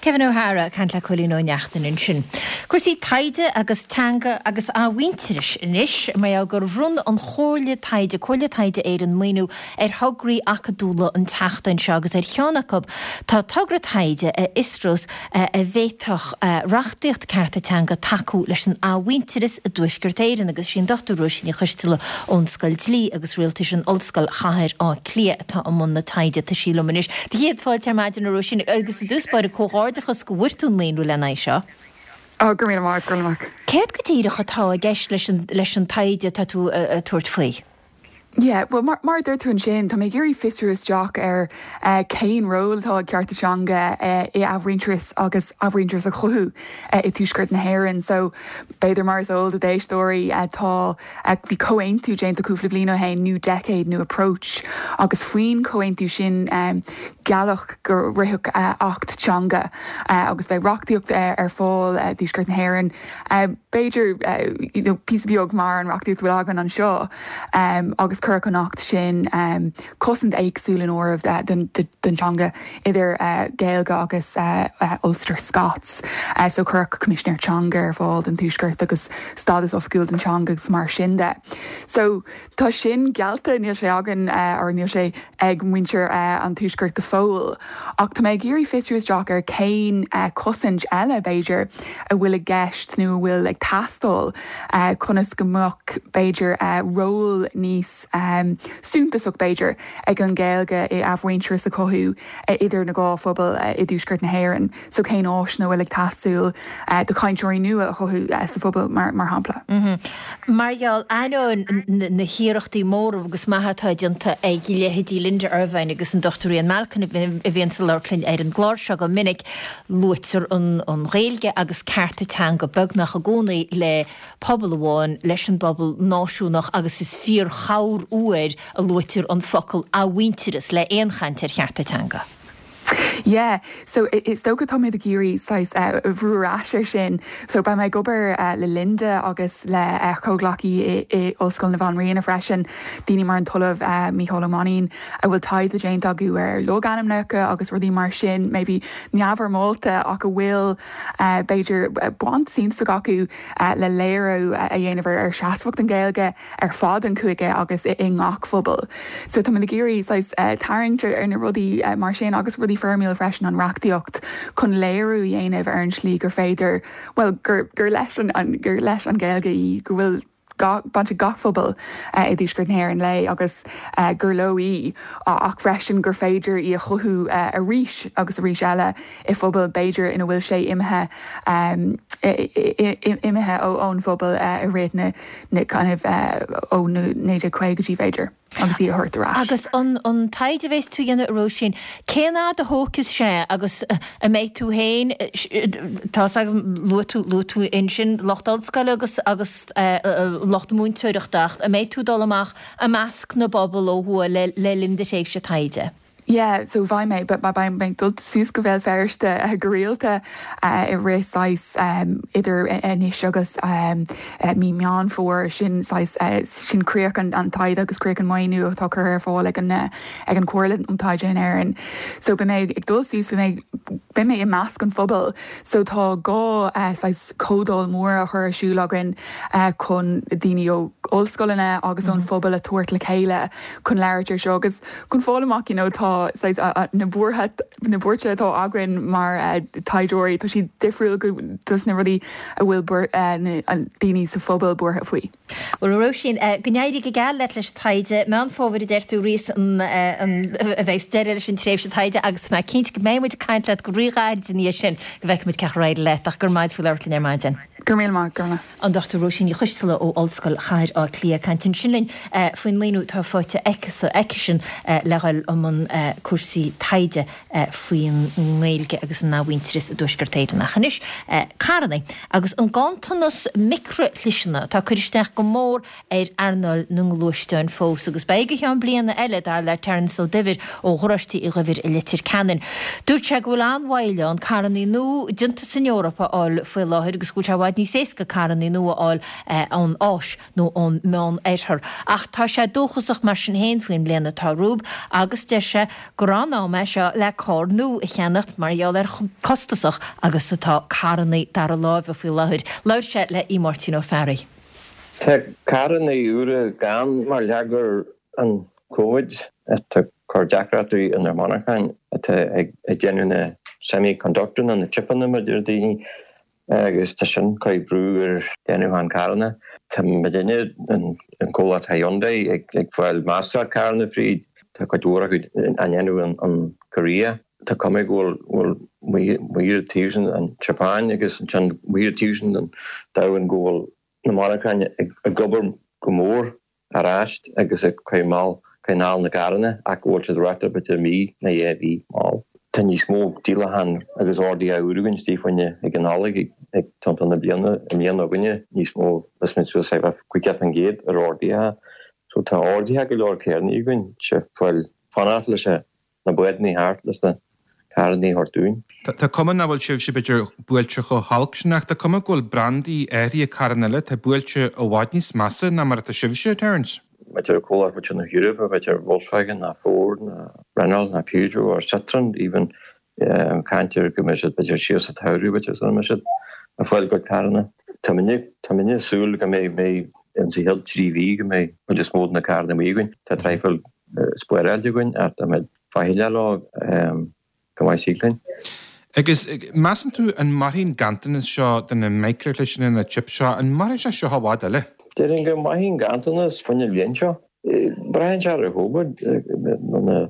Kevin O'Hara ag caint le Cóilín Ó Neachtain ansin. Cúrsaí taighde agus teanga agus athmhuintearais anois, mar gheall gur bhronn an Chomhairle Taighde, Comhairle Taighde Éireann, maoiniú ar thograí acadúla an tseachtain seo agus ar cheann acu tá togra taighde a fhiosrós an bhféadfadh reachtaíocht cearta teanga tacú leis an athmhuintearas i dTuaisceart Éireann agus is í an Dr Róisín Ní Choisteala ón Scoil Dlí agus Rialtais in Ollscoil Chathair Átha Cliath atá i mbun na taighde. Tá sí liom anois. Do chéad fáilte ar maidin a Róisín agus i dtús báire comhghairdeachas go bhfuair tú an maoiniú lena aghaidh seo. Ó, go raibh míle maith agat, go raibh míle maith. Céard go díreach atá i gceist leis an leis an taighde atá tú ag tabhairt faoi? Yeah, bhuel mar mar a dúirt tú ansin, tá mé ag iarraidh fiosrú isteach ar cén ról atá ag cearta teanga i athmhuintearas agus athmhuintearas a chothú i dTuaisceart na hÉireann. So, b'fhéidir mar is eol do d'éisteoirí, tá, bhí comhaontú déanta cúpla bliain ó shin, New Decade, New Approach, agus faoin chomhaontú sin gealladh go rithfeadh Acht Teanga agus beidh reachtaíocht ar fáil i dTuaisceart na hÉireann. B'fhéidir, you know, píosa beag mar an reachtaíocht a bhfuil againn anseo agus cuirfeadh an Acht sin cosaint éagsúil in áireamh don teanga idir Gaeilge agus Ulster Scots. So cuirfeadh Coimisinéir Teanga ar fáil don Tuaisceart agus stádas oifigiúil don teanga agus mar sin de. So Tá sin geallta, níl sé againn, or níl sé ag muintir an Tuaiscirt go fóill. Ach tá mé ag iarraidh fiosrú isteach ar cén cosaint eile, b'fhéidir, a bhfuil i gceist nó a bhfuil ag teastáil conas go mbeadh, b'fhéidir, ról níos suntasach, b'fhéidir, ag an Ghaeilge i athmhuintearas a chothú idir na dhá phobal i dTuaisceart na hÉireann. So cén áiseanna a bhfuil ag teastáil do chainteoirí nua a chothú sa phobal, mar shampla. Mar gheall, ainneoin na hiarrachtaí móra agus maithe atá déanta ag leithéidí Linda Ervine agus an Dr Ian Malcolm a bhíonns ag labhairt linn ar an gclár seo go minic, luaitear an Ghaeilge agus cearta teanga beagnach i gcónaí le pobal amháin, leis an bpobal náisiúnach agus is fíor-chorruair a luaitear an focal athmhuintearas le aon chaint ar chearta teanga. Yeah, so is dócha tá muid ag iarraidh saghas bhrú ar ais ar sin. So beidh mé ag obair le Linda agus le comhghleacaí i Ollscoil na Banríona freisin, daoine mar an tOllamh Mícheál Ó Mainnín a bhfuil taighde déanta acu ar logainmneacha agus rudaí mar sin, maybe neamhfhoirmeálta ach a bhfuil b'fhéidir baint suntasach acu le léiriú a dhéanamh ar seasmhacht an Ghaeilge. ar fad an chúige agus i ngach phobal. So tá muid ag iarraidh saghas tarraingt ar na rudaí mar sin agus rudaí foirmiúil freisin, an reachtaíocht, chun léiriú a dhéanamh ar an slí gur féidir, bhuel, gur gur leis an gur leis an Ghaeilge í, go bhfuil baint ag gach phobal i dTuaisceart na hÉireann léi agus gur leo í ach freisin gur féidir í a chothú arís agus arís eile i phobal b'fhéidir ina bhfuil sé imithe imithe ón phobal i rith na na kind of ó na 1950idí b'fhéidir agus í a thabhairt ar ais. Agus an an taighde a bheas tú a dhéanamh a Róisín, cén fhad a thógfas sé agus an mbeidh tú féin, tá's agam, luaigh tú, luaigh tú ansin lucht ollscoile agus agus lucht múinteoireachta ach an mbeidh tú ag dul amach i measc na bpobal ó thuaidh le le linn do thréimhse taighde? Yeah, so beidh mé, beidh mé ag dul suas go Béal Feirste go rialta i rith saghas idir anois agus mí Meán Fómhair, sin saghas, sin críoch an taighde agus críoch an maoiniú atá curtha ar fáil ag an ag an Chomhairle um Taighde in Éirinn. So beidh mé ag dul suas, beidh mé, beidh mé i measc an phobail. So tá dhá saghas comhdháil mór á chur ar siúl againn chun daoine ó ollscoileanna agus ón phobal a tabhairt le chéile chun labhairt ar seo agus Chun fáil amach, you know, tá saghas na buartha, na buairte atá againn mar taighdeoirí, tá siad difriúil go dos na rudaí a bhfuil buar, na daoine sa phobal buartha faoi. Bhuel, a Róisín, go n-éirí go geal leat leis an taighde. Meán Fómhair a deir tú, arís, an, a bheas deireadh leis an tréimhse taighde agus tá mé cinnte go mbeidh muid ag caint leat go ríghairid ina dhiaidh sin go bhfeicfidh muid cén chaoi ar éirigh leat ach go raibh maith agat faoi labhairt linn ar maidin. Go raibh míle maith, Gormlaith. An Dr Róisín Ní Choisteala ó Ollscoil Chathair Átha Cliath ag caint ansin linn faoin maoiniú atá faighte aicisean le dhul i mbun cúrsaí taighde faoin nGaeilge agus an athmhuintearas i dTuaisceart Éireann. Ach anois, carranna agus an ganntanas micrishliseanna atá ag cur isteach go mór ar earnáil na ngluaisteán fós agus beidh go ceann bliana eile, dar le Terence Ó Duibhir ó Gharáiste Uí Dhuibhir i Leitir Ceanainn. Dúirt sé go bhfuil an-mhoill ann carrannaí nua déanta san Eoraip a fháil faoi láthair agus go bhfuil sé i bhfad níos éasca carrannaí nua a fháil ón Áis nó ón Meán-Oirthear. Ach tá sé dóchasach mar sin féin faoin mbliain atá romhainn agus deir sé gur an-am é seo le carr nua a cheannacht mar gheall ar chomh costasach agus atá carrannaí dara láimhe faoi láthair. Labhair sé le Aodh Máirtín Ó Fearraigh. Tá carranna úra gann mar gheall gur an Covid atá ag cur deacrachtaí ar na monarcháin atá ag déanamh na semiconductor nó na chipeanna mar a deir daoine agus tá sin ag cur brú ar déanamh an carranna. Tá muidinne an comhlacht Hyundai ag fáil meascán carranna fríd. Tá cuid mhór acu á ndéanamh in Korea. Tá cuma go bhfuil maor taobh sin an tSeapáin agus ansin maor taobh sin den domhan go bhfuil na monarcháin ag obair go mór ar ais agus ag coinneáil na gcarranna ach go bhfuil siad ráite b'fhéidir mí nó dhá mhí mall. Tá níos mó díolachán agus orduithe úr againn istigh fá choinne ag an Nollaig ag tiontú na bliana i mbliana againne níos mó mheas mé suas 50% ar orduithe so tá orduithe go leor carranna againn sé fáil fanacht leis an na bádanna thart leis na carranna a thabhairt dúinn. Tá cuma nach bhfuil sibhse b'fhéidir buailte chomh holc sin ach tá cuma go bhfuil brandaí áirithe carranna eile atá buailte i bhfad níos measa ná mar atá sibhse, Terence. B'fhéidir comhlacht b'fhéidir na hEorpa, b'fhéidir Volkswagen ná Ford ná Renault ná Peugeot or Citroën even caint ar go mbeidh siad b'fhéidir siar sa tsamhradh b'fhéidir sula mbeidh siad ag fáil a gcuid carranna. Tá muidne ag súil go mbeidh mbeidh sa chéad 3 mhí go mbeidh cuid is mó de na carranna amuigh againn. Tá traidhfil spáráilte againn ach tá muid faichilleach leo go maith saoil linn. Agus measann tú an mairfidh an ganntanas seo de na micreashliseanna, na chips seo, an mairfidh sé seo i bhfad eile? Déarfainn go mairfidh an ganntanas fá choinne an bhliain seo. Braitheann sé ar an Chóivid, nuair a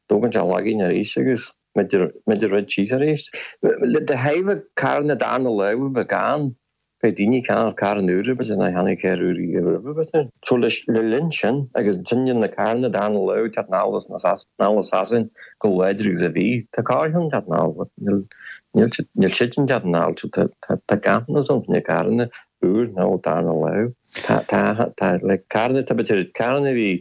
dtógann sé lagainn arís agus muid ag rith síos arís. Le de thaobh carranna darna láimh a bheith gann, Beidh daoine ag ceannacht carranna úra b'fhéidir nár cheannaigh carr úr riamh roimhe b'fhéidir. So le linn sin agus ansin níl na carranna darna láimh ag teacht anall as anall as Sasain chomh láidir agus a bhí. Tá carrcheann ag teacht anall but níl níl siad níl siad sin ag teacht anall so tá tá tá ganntanas ann na carranna úr nó darna láimh. Tá tá tá like carranna tá b'fhéidir carranna a bhí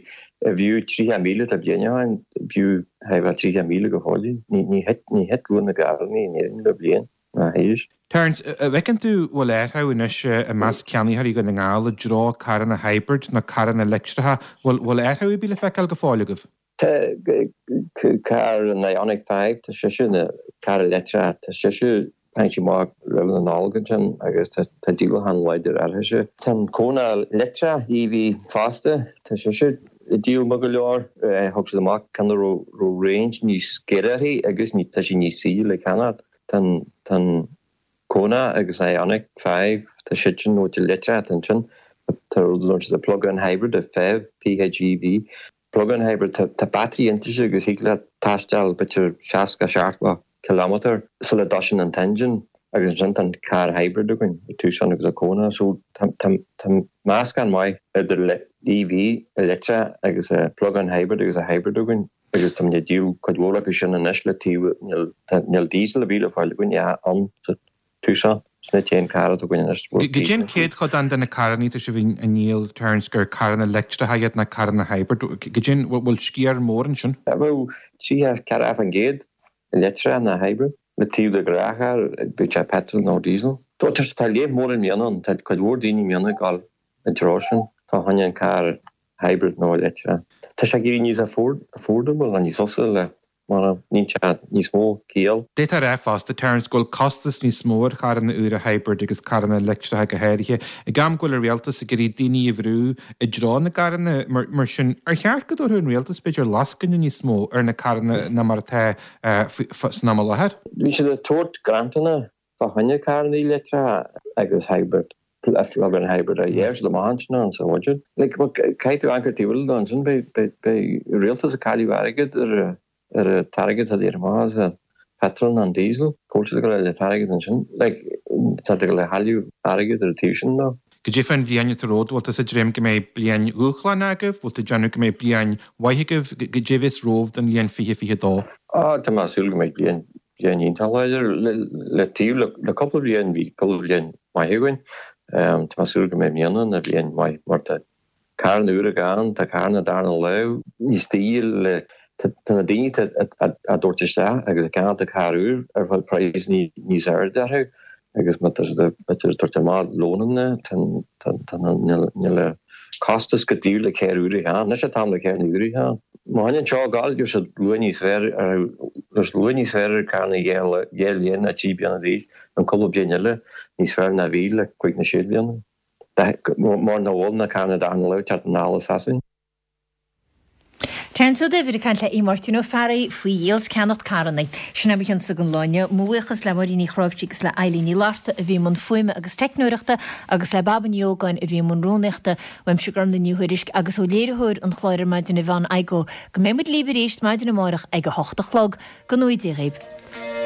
a bhfiú 30,000 tá bliain ó shin b'fhiú thar 30,000 go fóill. Ní ní thit ní thit luach na gcarranna in Éirinn le bliain. ná théis. Terence, an bhfeiceann tú bhfuil athrú anois i measc ceannaitheoirí Dhún na nGall i dtreo carranna hybrid nó carranna leictreacha, bhfuil bhfuil athrú ar bith le feiceáil go fóill agaibh? Tá carr an Ioniq 5, tá sise ina carr leictreach, tá sise tháinig sí amach roimh na Nollag ansin agus tá tá díolachán láidir uirthise. Tá an Kona leictreach EV fosta, tá sise ag díol maith go leor. Thug siad amach ceann a raibh raibh range níos giorra uirthi agus tá sí níos saoire le ceannacht. Tá an Kona agus an Ioniq 5, tá siad sin nó leictreach ansin. Tá rud a siad plug-in hybrid, a PHEV, P-H-E-V. Plug-in hybrid, tá battery inti agus thig leat taisteal b'fhéidir 60, 70 kilometre sula dtoisíonn an t-engine agus ansin tá an carr hybrid againn, an Tucson agus an Kona. So tá meascán maith idir EV, leictreach agus plug-in hybrid agus a hybrid againn. Agus tá muid ag díol cuid mhór acu sin anois le taobh, níl diesel ar bith le fáil againn ann sa Tucson, sin an t-aon carr atá againn anois. Goidé an céatadán de na carranna atá sibh a ndíol, Terence, gur carranna leictreacha iad ná carranna hybrid, goidé an, bhfuil sciar mór ansin? Bheadh 34% leictreach ná hybrid. Le taobh de ghnáthcharr, bíodh sé petrol nó diesel. Tá léamh mór i mbliana ann, tá cuid mhór daoine i mbliana ag dul i dtreo sin, fá choinne an carr hybrid nó leictreach. Tá sé ag éirí níos affordable nó níos fusa le mar níl sé níos mó ciall. D'fhéadfá a rá fosta, Terence, go bhfuil costas níos mó ar charranna úra hybrid agus carranna leictreacha go háirithe, ag am go bhfuil an rialtas ag iarraidh daoine a bhrú i dtreo na gcarranna mar sin. Ar cheart go dtabharfadh an rialtas, b'fhéidir, lascaine níos mó ar na carranna ná mar atá san am i láthair? Bhí siad ag tabhairt grantanna Fá choinne carrannaí leictreacha agus hybrid, plug-in hybrid a dheir siad amach ansin ann sa bhuiséad. Like, well, caithfidh tú amharc taobh eile ansin, beidh, beidh, beidh rialtas ag cailleadh airgead ar a, ar an t-airgead atá iad amach as an petrol nó an diesel, cá bhfuil siad ag dul a fháil an t-airgead ansin. Like, Tá siad ag dul a chailleadh airgead ar an taobh sin dó. Goidé fán bhliain atá romhat, bhfuil tusa ag dréim go mbeidh bliain dhúshlánach agaibh, bhfuil tú ag déanamh go mbeidh bliain mhaith agaibh, goidé a bheas romhaibh don bhliain 2022? Á, tá mé ag súil go mbeidh bliain, bliain iontach láidir. Le taobh le, le cúpla bliain, bhí cúpla bliain maith againn. Tá mé ag súil go mbeidh i mbliana ina bhliain mhaith mar tá carranna úra ann, tá carranna darna lámh níos daoire le, tá na daoine atá á dtabhairt isteach agus ag ceannacht an carr úr ar fáil praghas níos airde orthu agus má tá siad ag tabhairt amach lónanna tá níl an costas go taobh le carr úr a cheannach. Anois an t-am le carranna úra a cheannach. Má choinníonn seo ag gabháil gheobhaidh siad luach níos fearr ar gheobhaidh siad luach níos fearr ar carranna 2 bhliain nó 3 bliana d'aois an cúpla bliain eile níos fearr ná bhí le cúig nó sé bliana. Mar nach bhfuil na carranna darna lámh ag teacht anall as Sasain. Terence Ó Duibhir ag caint le Aodh Máirtín Ó Fearraigh faoi dhíol 's ceannacht carranna. Sin é mo chionsa don lá inniu. Mo bhuíochas le Máirín Ní Chráimhsí agus le Eilín Ní Fhlatharta a bhí i mbun fuaime agus teicneoireachta agus le Baba Ní Ógáin a bhí i mbun rúnaíochta. Uaimse Gormlaith Ní Thuairisg agus ó léiritheoir an chláir ar maidin Yvonne Igoe go mbeidh muid libh arís maidin amárach ag a hocht a chlog. Go ngnóthaí Dia dhaoibh.